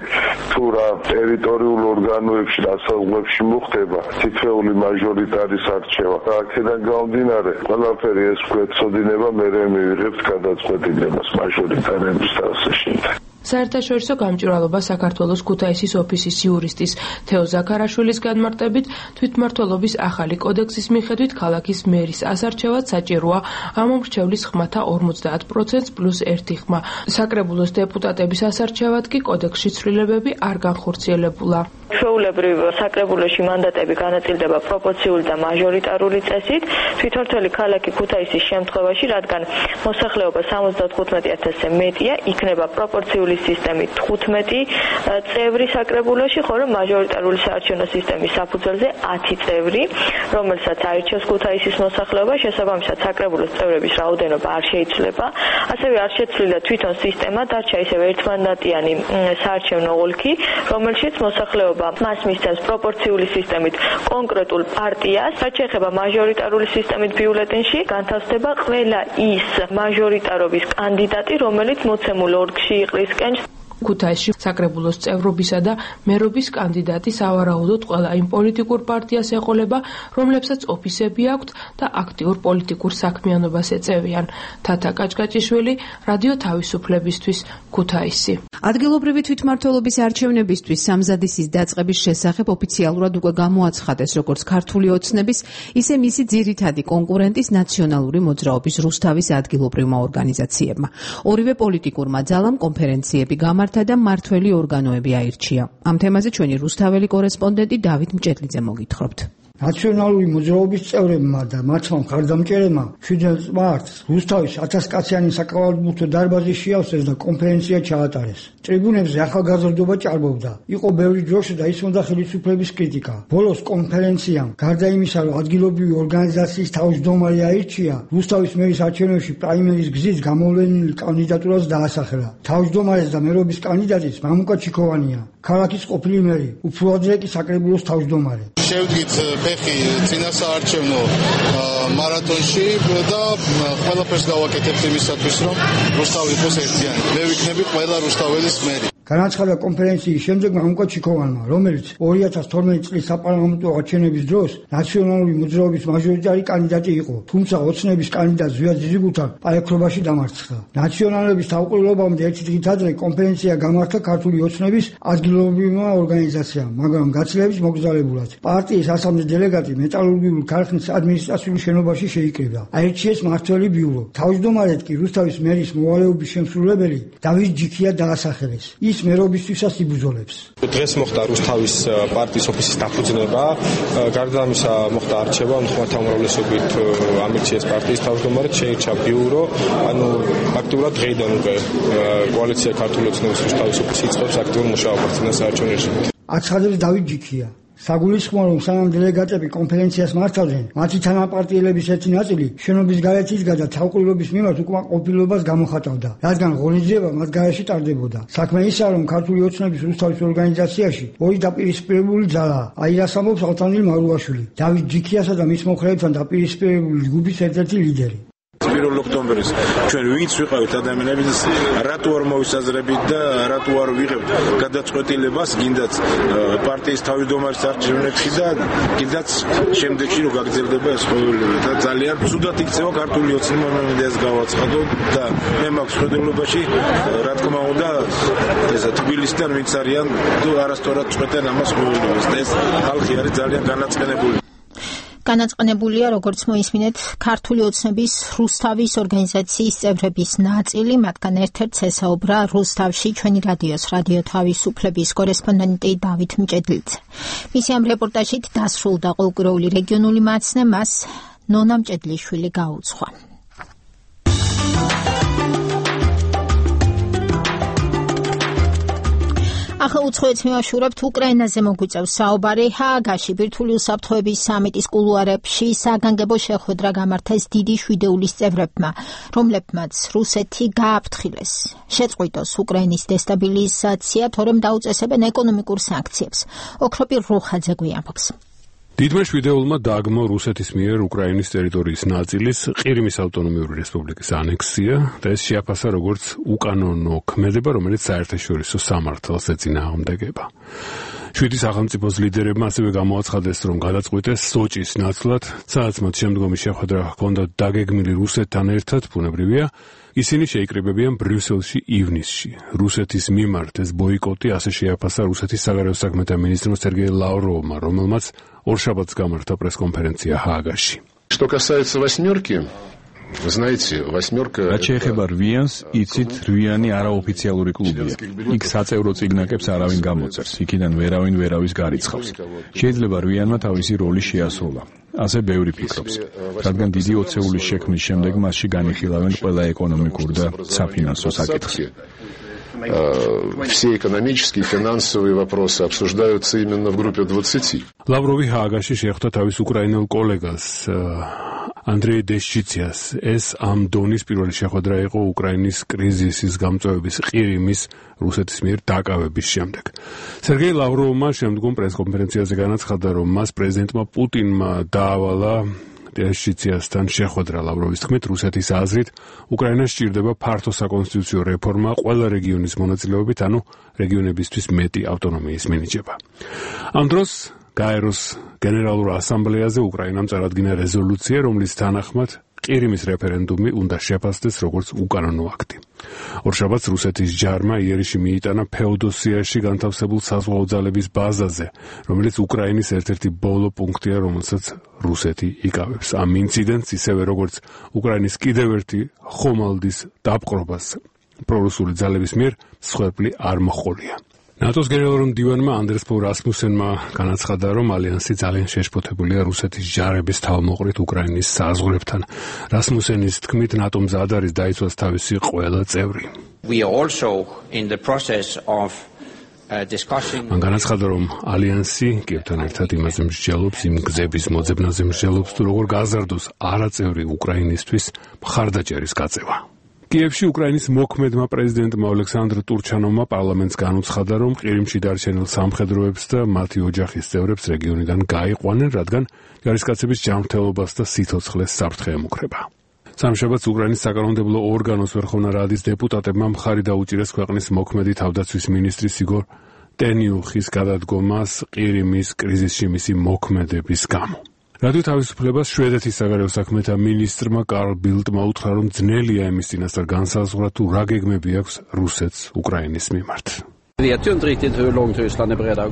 თუ რა ტერიტორიულ ორგანოებში, დასაწყებში მოხდება თითოეული მაჟორიტარის არჩევა. აქედან გამომდინარე, ყველაფერი ეს გვეცოდინება, მერე მივიღებთ გადაწყვეტილებას მაჟორიტარების დასაშინდა. საერთაშორისო გამჭვირვალობა საქართველოს ქუთაისის ოფისის იურისტის თეო ზაქარაშვილის განმარტებით, თვითმმართველობის ახალი კოდექსის მიხედვით ქალაქის მერის ასარჩევად საჭიროა ამომრჩევლის ხმათა ორმოცდაათ პროცენტს პლუს ერთი ხმა. საკრებულოს დეპუტატების ასარჩევად კი კოდექსში ცვლილებები არ განხორციელებულა. ჩვეულებრივ საკრებულოში მანდატები განაწილდება პროპორციული და მაჟორიტარული წესით. თვითმმართველი ქალაქი ქუთაისის შემთხვევაში, რადგან მოსახლეობა სამოცდათხუთმეტი ათასზე მეტია, იქნება პროპორციული სისტემით თხუთმეტი წევრი საკრებულოში, ხოლო მაჟორიტარული საარჩევნო სისტემის საფუძველზე ათი წევრი, რომელსაც აირჩევს ქუთაისის მოსახლეობა, შესაბამისად საკრებულოს წევრების რაოდენობა არ შეიცვლება. ასევე არ შეცვლილა თვითონ სისტემა, დარჩა ისევ ერთმანდატიანი საარჩევნო ოლქი, რომელშიც მოსახლეობა მას მისცემს პროპორციული სისტემით კონკრეტულ პარტიას. რაც შეეხება მაჟორიტარული სისტემით ბიულეტენში, განთავსდება ყველა ის მაჟორიტარობის კანდიდატი, რომელიც მოცემულ ოლქში იყრის ქუთაისში საკრებულოს წევრობისა და მერობის კანდიდატი სავარაუდოდ ყველა იმ პოლიტიკურ პარტიას ეყოლება, რომლებსაც ოფისები აქვთ და აქტიურ პოლიტიკურ საქმიანობას ეწევიან. თათა კაჭკაჭიშვილი, რადიო თავისუფლებისთვის, ქუთაისი. ადგილობრივი თვითმმართველობის არჩევნებისთვის სამზადისის დაწყების შესახებ ოფიციალურად უკვე გამოაცხადეს როგორც ქართული ოცნების, ისე მისი ძირითადი კონკურენტის ნაციონალური მოძრაობის რუსთავის ადგილობრივმა ორგანიზაციებმა. ორივე პოლიტიკურმა ძალამ კონფერენციები გამართა და მართველი ორგანოები აირჩია. ამ თემაზე ჩვენი რუსთაველი კორესპონდენტი დავით მჭედლიძე მოგითხრობთ. ნაციონალური მოძრაობის წევრებმა და მათმა მხარდამჭერებმა შვიდ მარტს რუსთავის ათასკაციანი საკალათბურთო დარბაზი შეავსეს და კონფერენცია ჩაატარეს. ტრიბუნებზე ახალგაზრდობა ჭარბობდა. იყო ბევრი დროშა და ისმოდა ხელისუფლების კრიტიკა. ბოლოს კონფერენციამ, გარდა იმისა, რომ ადგილობრივი ორგანიზაციის თავმჯდომარე აირჩია, რუსთავის მერის არჩევნებში პრაიმერის გზით გამოვლენილი კანდიდატურას დაასახელა. თავმჯდომარეს და მერობის კანდიდატიც მამუკა ჩიქოვანია, ქალაქის ყოფილი მერი, უფრო ადრე კი საკრებულოს თავმჯდომარე. შევდგით ფეხი წინასაარჩევნო მარათონში და ყველაფერს გავაკეთებთ იმისათვის, რომ რუსთავი იყოს ერთიანი. მე ვიქნები ყველა რუსთაველის მერი. განაცხადა კონფერენციის შემდეგ მამუკა ჩიქოვანმა, რომელიც ორი ათას თორმეტი წლის საპარლამენტო არჩევნების დროს ნაციონალური მოძრაობის მაჟორიტარი კანდიდატი იყო, თუმცა ოცნების კანდიდატ ზვიად ძიძიგურთან პაექრობაში დამარცხდა. ნაციონალების თავმჯდომარეობამდე ერთი დღით ადრე კონფერენცია გამართა ქართული ოცნების ადგილობრივმა ორგანიზაციამ, მაგრამ გაცილებით მოგზაურებულად. პარტიის ასამდე დელეგატი მეტალურგიული ქარხნის ადმინისტრაციული შენობაში შეიკრიბა. აირჩიეს მართველი ბიურო. თავმჯდომარედ კი რუსთავის მერის მოვალეობის შემსრულებელი დავით ჯიქია დაასახელეს. ის მერობისთვისაც იბრძოლებს. დღეს მოხდა რუსთავის პარტიის ოფისის დაფუძნება. გარდა ამისა მოხდა არჩევა, ხმათა უმრავლესობით ამირჩიეს პარტიის თავმჯდომარედ, შეირჩა ბიურო. ანუ აქტიურად დღეიდან უკვე კოალიცია ქართული ოცნების რუსთავის ოფისი იწყებს აქტიურ მუშაობას წინასაარჩევნო რეჟიმით. აცხადებს დავით ჯიქია. საგულისხმოა, რომ სანამ დელეგატები კონფერენციას მართავდნენ, მათი თანაპარტიელების ერთი ნაწილი შენობის გარეთ იდგა და თავყურილობის მიმართ უკმაყოფილებას გამოხატავდა, რადგან ღონისძიება მათ გარეშე ტარდებოდა. საქმე ისაა, რომ ქართული ოცნების რუსთავის ორგანიზაციაში ორი დაპირისპირებული ძალაა. აი რას ამბობს ალთანდილ მარუაშვილი, დავით ჯიქიასა და მის მომხრეებთან დაპირისპირებული ჯგუფის ერთ-ერთი ლიდერი. პირველ ოქტომბერს ჩვენ ვინც ვიყავით ადამიანები, რატო არ მოვისაზრებით და რატო არ ვიღებთ გადაწყვეტილებას, გინდაც პარტიის თავმჯდომარის არჩევნებში და გინდაც შემდეგში რომ გაგრძელდება ეს ყოველივე და ძალიან ცუდად იქცევა ქართული ოცნება, მე მინდა ეს გავაცხადო და მე მაქვს ხედულობაში, რა თქმა უნდა, ესა თბილისიდან ვინც არიან თუ არასწორად წყვეტენ ამას ყოველივეს და ეს ხალხი არის ძალიან განაწყენებული. განაწყენებულია, როგორც მოისმინეთ, ქართული ოცნების რუსთავის ორგანიზაციის წევრების ნაწილი, მათგან ერთ-ერთს ესაუბრა რუსთავში ჩვენი რადიოს რადიო თავისუფლების კორესპონდენტი დავით მჭედლიძე. მისი ამ რეპორტაჟით დასრულდა ყოველკვირეული რეგიონული მაცნე, მას ნონა მჭედლიშვილი გაუძღვა. ახლა უცხოეთს მივაშურებთ უკრაინაზე მოგვიწევს საუბარი. ჰააგაში ბირთვული უსაფრთხოების სამიტის კულუარებში საგანგებო შეხვედრა გამართეს დიდი შვიდეულის წევრებმა, რომლებმაც რუსეთი გააფრთხილეს. შეწყვიტოს უკრაინის დესტაბილიზაცია, თორემ დაუწესებენ ეკონომიკურ სანქციებს. ოქროპირ რუხაძე გვიამბობს. დიდმა შვიდეულმა დააგმო რუსეთის მიერ უკრაინის ტერიტორიის ნაწილის ყირიმის ავტონომიური რესპუბლიკის ანექსია და ეს შეაფასა როგორც უკანონო ქმედება, რომელიც საერთაშორისო სამართალს ეწინააღმდეგება. შვიდი სახელმწიფოს ლიდერებმა ასევე გამოაცხადეს, რომ გადაწყვიტეს სოჭის ნაცვლად, სადაც მათ შემდგომი შეხვედრა ჰქონდათ დაგეგმილი რუსეთთან ერთად, ბუნებრივია, ისინი შეიკრიბებიან ბრიუსელში ივნისში. რუსეთის მიმართ ეს ბოიკოტი ასე შეაფასა რუსეთის საგარეო საქმეთა მინისტრმა სერგეი ლავროვმა, რომელმაც ორშაბათს გამართა პრესკონფერენცია ჰააგაში. Что касается восьмерки, вы знаете, восьмерка... რაც შეეხება რვიანს, იცით, რვიანი არაოფიციალური კლუბია. იქ საწევრო წიგნაკებს არავინ გამოწერს, იქიდან ვერავინ ვერავის გარიცხავს. შეიძლება რვიანმა თავისი როლი შეასრულა. ასე ბევრი ფიქრობს, რადგან დიდი ოცეულის შექმნის შემდეგ მასში განიხილავენ ყველა ეკონომიკურ და საფინანსო საკითხს. Все экономические и финансовые вопросы обсуждаются именно в группе двадцати. ლავროვი ჰააგაში შეხვდა თავის უკრაინელ კოლეგას ანდრეი დეშჩიციას. ეს ამ დონის პირველი შეხვედრა იყო უკრაინის კრიზისის გამწვევების ყირიმის რუსეთის მიერ დაკავების შემდეგ. სერგეი ლავროვმა შემდგომ პრესკონფერენციაზე განაცხადა, რომ მას პრეზიდენტმა პუტინმა დაავალა დეშჩიციასთან შეხვედრა. ლავროვის თქმით, რუსეთის აზრით, უკრაინას სჭირდება ფართო საკონსტიტუციო რეფორმა ყველა რეგიონის მონაწილეობით, ანუ რეგიონებისთვის მეტი ავტონომიის მინიჭება. ამ დროს გაეროს გენერალურ ასამბლეაზე უკრაინამ წარადგინა რეზოლუცია, რომლის თანახმად ყირიმის რეფერენდუმი უნდა შეფასდეს როგორც უკანონო აქტი. ორშაბათს რუსეთის ჯარმა იერიში მიიტანა ფეოდოსიაში განთავსებულ საზღვაო ძალების ბაზაზე, რომელიც უკრაინის ერთ-ერთი ბოლო პუნქტია, რომელსაც რუსეთი იკავებს. ამ ინციდენტს ისევე როგორც უკრაინის კიდევ ერთი ხომალდის დაპყრობას პრორუსული ძალების მიერ მსხვერპლი არ მოჰყოლია. ნატოს გენერალურ მდივანმა ანდრეს ფო რასმუსენმა განაცხადა, რომ ალიანსი ძალიან შეშფოთებულია რუსეთის ჯარების თავმოყრით უკრაინის საზღვრებთან. რასმუსენის თქმით, ნატო მზად არის დაიცვას თავისი ყველა წევრი. We are also in the process of discussing. მან განაცხადა, რომ ალიანსი კიევთან ერთად იმაზე მსჯელობს, იმ გზების მოძებნაზე მსჯელობს, თუ როგორ გაზარდოს არაწევრი უკრაინისთვის მხარდაჭერის გაწევა. კიევში უკრაინის მოქმედმა პრეზიდენტმა ოლექსანდრ ტურჩანოვმა პარლამენტს განუცხადა, რომ ყირიმში დარჩენილ სამხედროებს და მათი ოჯახის წევრებს რეგიონიდან გაიყვანენ, რადგან ჯარისკაცების ჯანმრთელობას და სიცოცხლეს საფრთხე ემუქრება. სამშაბათს უკრაინის საკანონმდებლო ორგანოს ვერხოვნა რადის დეპუტატებმა მხარი დაუჭირეს ქვეყნის მოქმედი თავდაცვის მინისტრის იგორ ტენიუხის გადადგომას ყირიმის კრიზისში მისი მოქმედების გამო. რადიო თავისუფლებას შვედეთის საგარეო საქმეთა მინისტრმა კარლ ბილდმა უთხრა, რომ ძნელია იმის წინასწარ განსაზღვრა, თუ რა გეგმები აქვს რუსეთს უკრაინის მიმართ.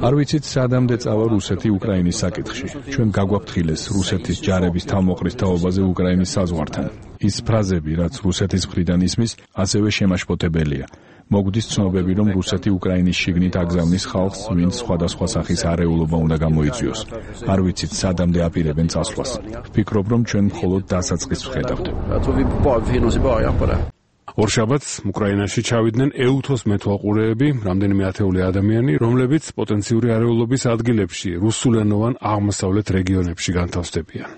არ ვიცით სადამდე წავა რუსეთი უკრაინის საკითხში. ჩვენ გაგვაფრთხილეს რუსეთის ჯარების თავმოყრის თაობაზე უკრაინის საზღვართან. ის ფრაზები, რაც რუსეთის მხრიდან ისმის, ასევე შემაშფოთებელია. მოგვდის ცნობები, რომ რუსეთი უკრაინის შიგნით აგზავნის ხალხს, ვინც სხვადასხვა სახის არეულობა უნდა გამოიწვიოს. არ ვიცით სადამდე აპირებენ წასვლას. ვფიქრობ, რომ ჩვენ მხოლოდ დასაწყისს ვხედავთ. ორშაბათს უკრაინაში ჩავიდნენ ეუთოს მეთვალყურეები, რამდენიმე ათეული ადამიანი, რომლებიც პოტენციური არეულობის ადგილებში, რუსულენოვან აღმოსავლეთ რეგიონებში განთავსდებიან.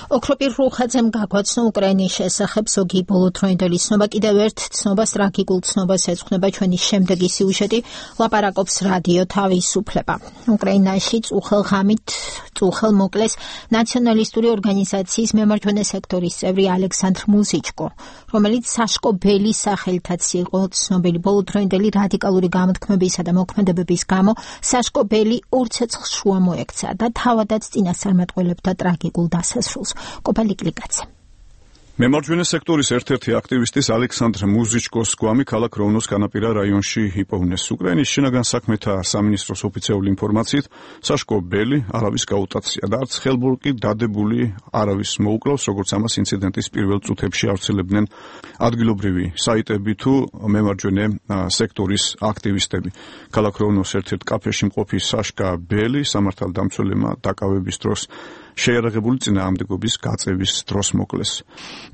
ოქროპირ რუხაძემ გაგვაცნო უკრაინის შესახებ ზოგი ბოლოდროინდელი ცნობა, კიდევ ერთ ცნობას, ტრაგიკულ ცნობას ეძღვნება ჩვენი შემდეგი სიუჟეტი, ლაპარაკობს რადიო თავისუფლება. უკრაინაში წუხელ ღამით წუხელ მოკლეს ნაციონალისტური ორგანიზაციის მემარჯვენე სექტორის წევრი ალექსანდრ მუზიჩკო, რომელიც საშკო ბელის სახელითაც იყო ცნობილი. ბოლოდროინდელი რადიკალური გამოთქმებისა და მოქმედებების გამო საშკო ბელი ორ ცეცხლს შუა მოექცა და თავადაც წინასწარმეტყველებდა ტრაგიკულ დასასრულს. კოპალიკლიკაც. მემარჯვენე სექტორის ერთ-ერთი აქტივისტის ალექსანდრ მუზიჩკოს გვამი ქალაქ როვნოს განაპირა რაიონში იპოვნეს. უკრაინის შინაგან საქმეთა სამინისტროს ოფიციალური ინფორმაციით, საშკო ბელი არავის გაუტაცია და არც ხელბურკი დადებული არავის მოუკლავს, როგორც ამას ინციდენტის პირველ წუთებში ავრცელებდნენ ადგილობრივი საიტები თუ მემარჯვენე სექტორის აქტივისტები. ქალაქ როვნოს ერთ-ერთ კაფეში მყოფი საშკა ბელი სამართალდამცველებმა დაკავების დროს შეიარაღებული წინააღმდეგობის გაწევის დროს მოკლეს.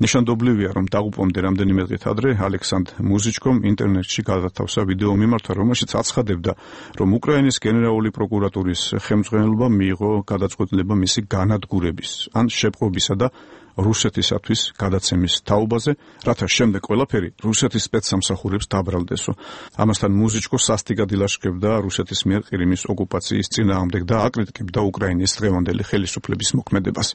ნიშანდობლივია, რომ დაღუპვამდე რამდენიმე დღით ადრე ალექსანდრ მუზიჩკომ ინტერნეტში გადათავსა ვიდეო მიმართვა, რომელშიც აცხადებდა, რომ უკრაინის გენერალური პროკურატურის ხელმძღვანელობა მიიღო გადაწყვეტილება მისი განადგურების ან შეპყრობისა და რუსეთისათვის გადაცემის თაობაზე, რათა შემდეგ ყველაფერი რუსეთის სპეცსამსახურებს დაბრალდესო. ამასთან მუზიჩკო სასტიკად ილაშქრებდა რუსეთის მიერ ყირიმის ოკუპაციის წინააღმდეგ და აკრიტიკებდა უკრაინის დღევანდელი ხელისუფლების მოქმედებას.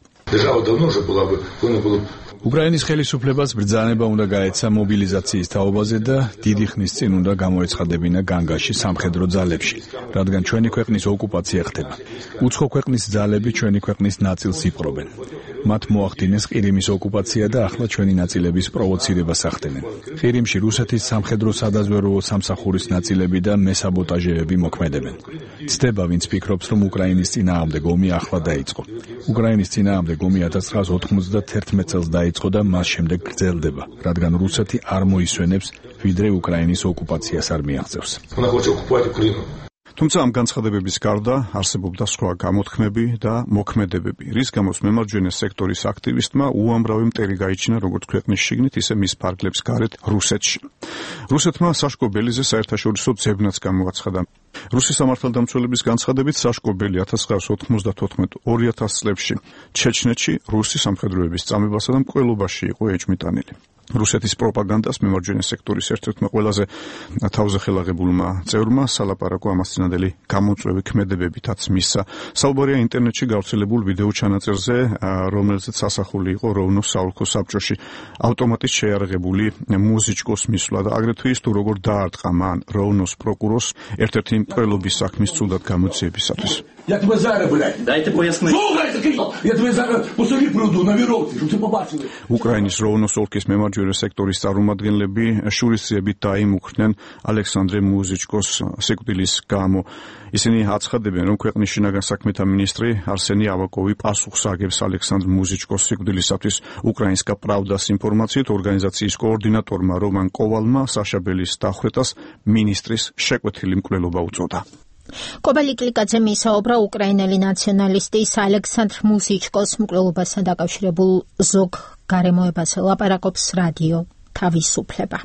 უკრაინის ხელისუფლებას ბრძანება უნდა გაეცა მობილიზაციის თაობაზე და დიდი ხნის წინ უნდა გამოეცხადებინა განგაში სამხედრო ძალებში, რადგან ჩვენი ქვეყნის ოკუპაცია ხდება. უცხო ქვეყნის ძალები ჩვენი ქვეყნის ნაწილს იპყრობენ. მათ მოახდინეს ყირიმის ოკუპაცია და ახლა ჩვენი ნაწილების პროვოცირებას ახდენენ. ყირიმში რუსეთის სამხედრო სადაზვერვო სამსახურის ნაწილები და მესაბოტაჟეები მოქმედებენ. ცდება, ვინც ფიქრობს, რომ უკრაინის წინააღმდეგ ომი ახლა დაიწყო. უკრაინის წინააღმდეგ ომი ათას ცხრაასი ოთხმოცდათერთმეტ წელს დაიწყო და მას შემდეგ გრძელდება, რადგან რუსეთი არ მოისვენებს, ვიდრე უკრაინის ოკუპაციას არ მიაღწევს. თუმცა ამ განცხადებების გარდა არსებობდა სხვა გამოთქმები და მოქმედებები, რის გამოც მემარჯვენე სექტორის აქტივისტმა უამრავი მტერი გაიჩინა როგორც ქვეყნის შიგნით, ისე მის ფარგლებს გარეთ რუსეთში. რუსეთმა საშკო ბელიზე საერთაშორისო ძებნაც გამოაცხადა. რუსის სამართალდამცველების განცხადებით საშკო ბელი ათას ცხრაასი ოთხმოცდათოთხმეტ ორი ათას წლებში ჩეჩნეთში რუსი სამხედროების წამებასა და მკვლელობაში იყო ეჭვმიტანილი. რუსეთის პროპაგანდას მემარჯვენე სექტორის ერთ-ერთმა ყველაზე თავზეხელაღებულმა წევრმა სალაპარაკო ამასწინებელი გამოწვევი ქმედებებითაც მისცა. საუბარია ინტერნეტში გავრცელებულ ვიდეო ჩანაწერზე, რომელზეც ასახული იყო როვნოს საოლქო საბჭოში ავტომატით შეიარაღებული მუზიჩკოს მისვლა და აგრეთვე ის თუ როგორ დაარტყა მან როვნოს პროკურორს ერთ-ერთი მკვლელობის საქმის ცუდად გამოძიებისათვის. Я тебе зараз, блядь. Дайте пояснити. Слухайте, кричал. Я тебе зараз по селі приведу на віровці, щоб ти побачили. უკრაინის როვნოს ოლქის მემარჯვენე სექტორის წარმომადგენლები შურისძიებით დაიმუქრნენ ალექსანდრე მუზიჩკოს სიკვდილის გამო. ისინი აცხადებენ, რომ ქვეყნის შინაგან საქმეთა მინისტრი არსენი ავაკოვი პასუხს აგებს ალექსანდრ მუზიჩკოს სიკვდილისათვის. უკრაინსკა პრავდას ინფორმაციით ორგანიზაციის კოორდინატორმა რომან კოვალმა საშაბელის დახვრეტას მინისტრის შეკვეთილი მკვლელობა უწოდა. კობალი კლიკაძე მისაუბრა უკრაინელი ნაციონალისტის ალექსანდრ მუზიჩკოს მკვლელობასთან დაკავშირებულ ზოგ გარემოებაზე ლაპარაკობს რადიო თავისუფლება.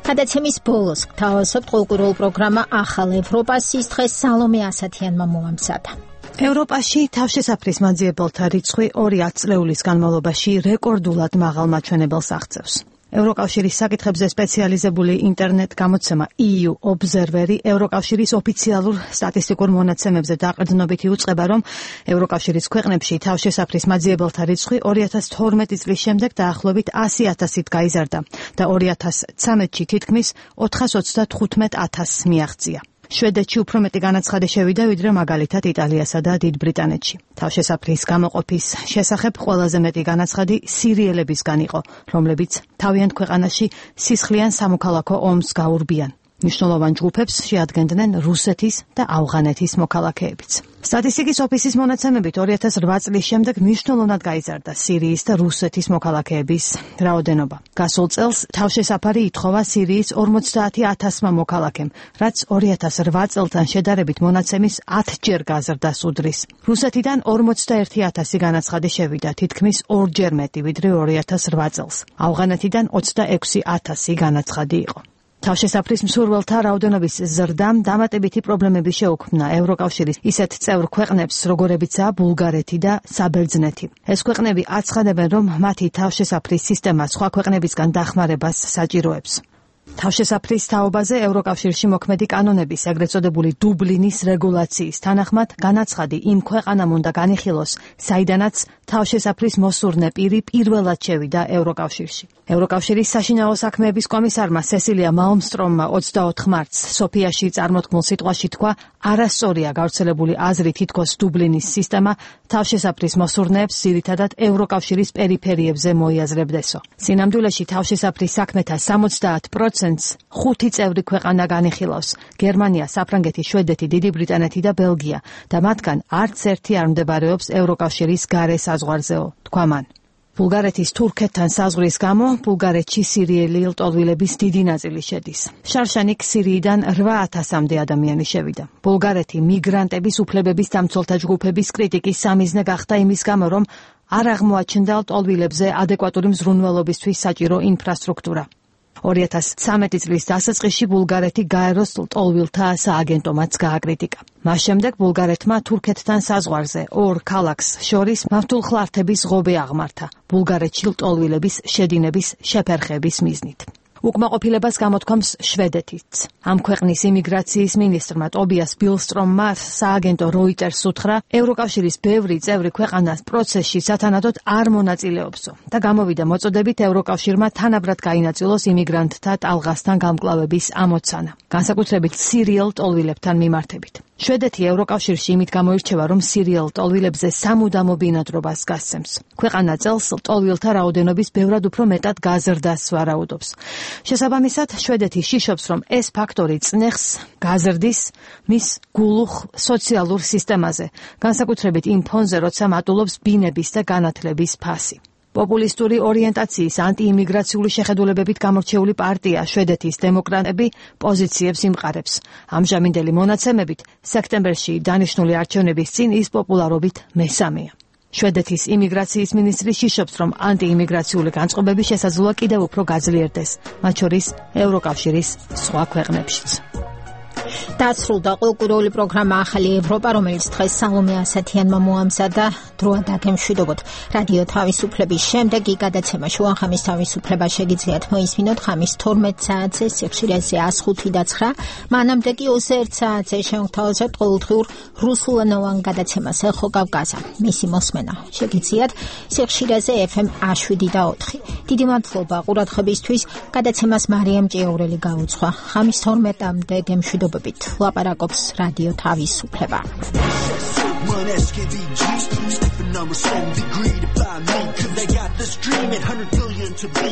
გადაცემის ბოლოს გთავაზობთ ყოველკვირეულ პროგრამა ახალ ევროპას, ის დღეს სალომე ასათიანმა მოამზადა. ევროპაში თავშესაფრის მაძიებელთა რიცხვი ორი ათწლეულის განმავლობაში რეკორდულად მაღალ მაჩვენებელს აღწევს. ევროკავშირის საკითხებზე სპეციალიზებული ინტერნეტ გამოცემა ი იუ Observer-ი ევროკავშირის ოფიციალურ სტატისტიკურ მონაცემებზე დაყრდნობით იუწყება, რომ ევროკავშირის ქვეყნებში თავშესაფრის მაძიებელთა რიცხვი ორი ათას თორმეტი წლის შემდეგ დაახლოებით ასი ათასით გაიზარდა და ორი ათას ცხრამეტში თითქმის ოთხას ოცდათხუთმეტ ათასს მიაღწია. შვედეთში უფრო მეტი განაცხადი შევიდა, ვიდრე მაგალითად იტალიასა და დიდ ბრიტანეთში. თავშესაფრის გამოყოფის შესახებ ყველაზე მეტი განაცხადი სირიელებისგან იყო, რომლებიც თავიანთ ქვეყანაში სისხლიან სამოქალაქო ომს გაურბიან. მნიშვნელოვან ჯგუფებს შეადგენდნენ რუსეთის და ავღანეთის მოქალაქეებიც. სტატისტიკის ოფისის მონაცემებით ორი ათას რვა წლის შემდეგ მნიშვნელოვნად გაიზარდა სირიის და რუსეთის მოქალაქეების რაოდენობა. გასულ წელს თავშესაფარი ითხოვა სირიის ორმოცდაათი ათასმა მოქალაქემ, რაც ორი ათას რვა წელთან შედარებით მონაცემის ათჯერ გაზრდას უდრის. რუსეთიდან ორმოცდაერთი ათასი განაცხადი შევიდა, თითქმის ორჯერ მეტი ვიდრე ორი ათას რვა წელს. ავღანეთიდან ოცდაექვსი ათასი განაცხადი იყო. თავშესაფრის მსურველთა რაოდენობის ზრდამ დამატებითი პრობლემები შეუქმნა ევროკავშირის ისეთ წევრ ქვეყნებს, როგორებიცაა ბულგარეთი და საბერძნეთი. ეს ქვეყნები აცხადებენ, რომ მათი თავშესაფრის სისტემა სხვა ქვეყნებისგან დახმარებას საჭიროებს. თავშესაფრის თაობაზე ევროკავშირში მოქმედი კანონების, ეგრეთ წოდებული დუბლინის რეგულაციის თანახმად, განაცხადი იმ ქვეყანამ უნდა განიხილოს, საიდანაც თავშესაფრის მოსურნე პირი პირველად შევიდა ევროკავშირში. ევროკავშირის საშინაო საქმეების კომისარმა სესილია მალმსტრომმა ოცდაოთხ მარტს სოფიაში წარმოთქმულ სიტყვაში თქვა, არასწორია გავრცელებული აზრი, თითქოს დუბლინის სისტემა თავშესაფრის მოსურნეებს ძირითადად ევროკავშირის პერიფერიებზე მოიაზრებდესო. სინამდვილეში თავშესაფრის საქმეთა სამოცდაათ პროცენტს ხუთი წევრი ქვეყანა განიხილავს: გერმანია, საფრანგეთი, შვედეთი, დიდი ბრიტანეთი და ბელგია და მათგან არც ერთი არ მდებარეობს ევროკავშირის გარე საზღვარზეო, თქვა მან. ბულგარეთის თურქეთთან საზღვრის გამო ბულგარეთში სირიელი ლტოლვილების დიდი ნაწილი შედის. შარშანიკ სირიიდან რვა ათასამდე ადამიანი შევიდა. ბულგარეთი მიგრანტების უფლებების დამცველთა ჯგუფების კრიტიკის სამიზნე გახდა იმის გამო, რომ არ აღმოაჩნდა ლტოლვილებზე ადეკვატური მზრუნველობისთვის საჭირო ინფრასტრუქტურა. ორი ათას ცხრამეტი წლის დასაწყისში ბულგარეთი გაეროს ლტოლვილთა სააგენტომატს გააკრიტიკა. მას შემდეგ ბულგარეთმა თურქეთთან საზღვარზე ორ ქალაქს შორის მავთულხლართების ღობე აღმართა ბულგარეთში ლტოლვილების შედინების შეფერხების მიზნით. უკმაყოფილებას გამოთქვამს შვედეთიც. ამ ქვეყნის იმიგრაციის მინისტრმა ტობიას ბილსტრომმა სააგენტო როიტერს უთხრა, ევროკავშირის ბევრი წევრი ქვეყანა პროცესში სათანადოდ არ მონაწილეობსო და გამოვიდა მოწოდებით ევროკავშირმა თანაბრად გაინაწილოს იმიგრანტთა ტალღასთან გამკლავების ამოცანა, განსაკუთრებით სირიელ ლტოლვილებთან მიმართებით. შვედეთი ევროკავშირში იმით გამოირჩევა, რომ სირიელ ლტოლვილებზე სამუდამო ბინადრობას გასცემს. ქვეყანა წელს ლტოლვილთა რაოდენობის ბევრად უფრო მეტად გაზრდას ვარაუდობს. შესაბამისად, შვედეთი შიშობს, რომ ეს ფაქტორი წნეხს გაზრდის მის გულუხ სოციალურ სისტემაზე, განსაკუთრებით იმ ფონზე, როცა მატულობს ბინების და განათლების ფასი. პოპულისტური ორიენტაციის ანტიიმიგრაციული შეხედულებებით გამორჩეული პარტია შვედეთის დემოკრატები პოზიციებს იმყარებს. ამჟამინდელი მონაცემებით სექტემბერში დანიშნული არჩევნების წინ ის პოპულარობით მესამეა. შვედეთის იმიგრაციის მინისტრი შიშობს, რომ ანტიიმიგრაციული განწყობები შესაძლოა კიდევ უფრო გაძლიერდეს, მათ შორის ევროკავშირის სხვა ქვეყნებშიც. დასრულდა კულტურული პროგრამა ახალი ევროპა, რომელიც დღეს სალომე ასათიანმა მოამზადა. დროა დაგემშვიდობოთ. რადიო თავისუფლების შემდეგი გადაცემა შუახამის თავისუფლება შეგიძლიათ მოისმინოთ ხამის თორმეტ საათზე, სიხშირეზე one oh five და nine. მანამდე კი twenty-one საათზე შემოგთავაზებთ ყოველდღიურ რუსულენოვან გადაცემას ეხო კავკაზა. მისი მოსმენა შეგიძლიათ სიხშირეზე F M one seven და four. დიდი მადლობა ყურადღებისთვის. გადაცემას მარიამ ჭიაურელი გაუძღვა. ხამის თორმეტამდე გემშვიდობებით. ლაპარაკობს რადიო თავისუფლება. One S K V G, stupid numbers, so degree to buy me, cause they got this dream at one hundred billion to be.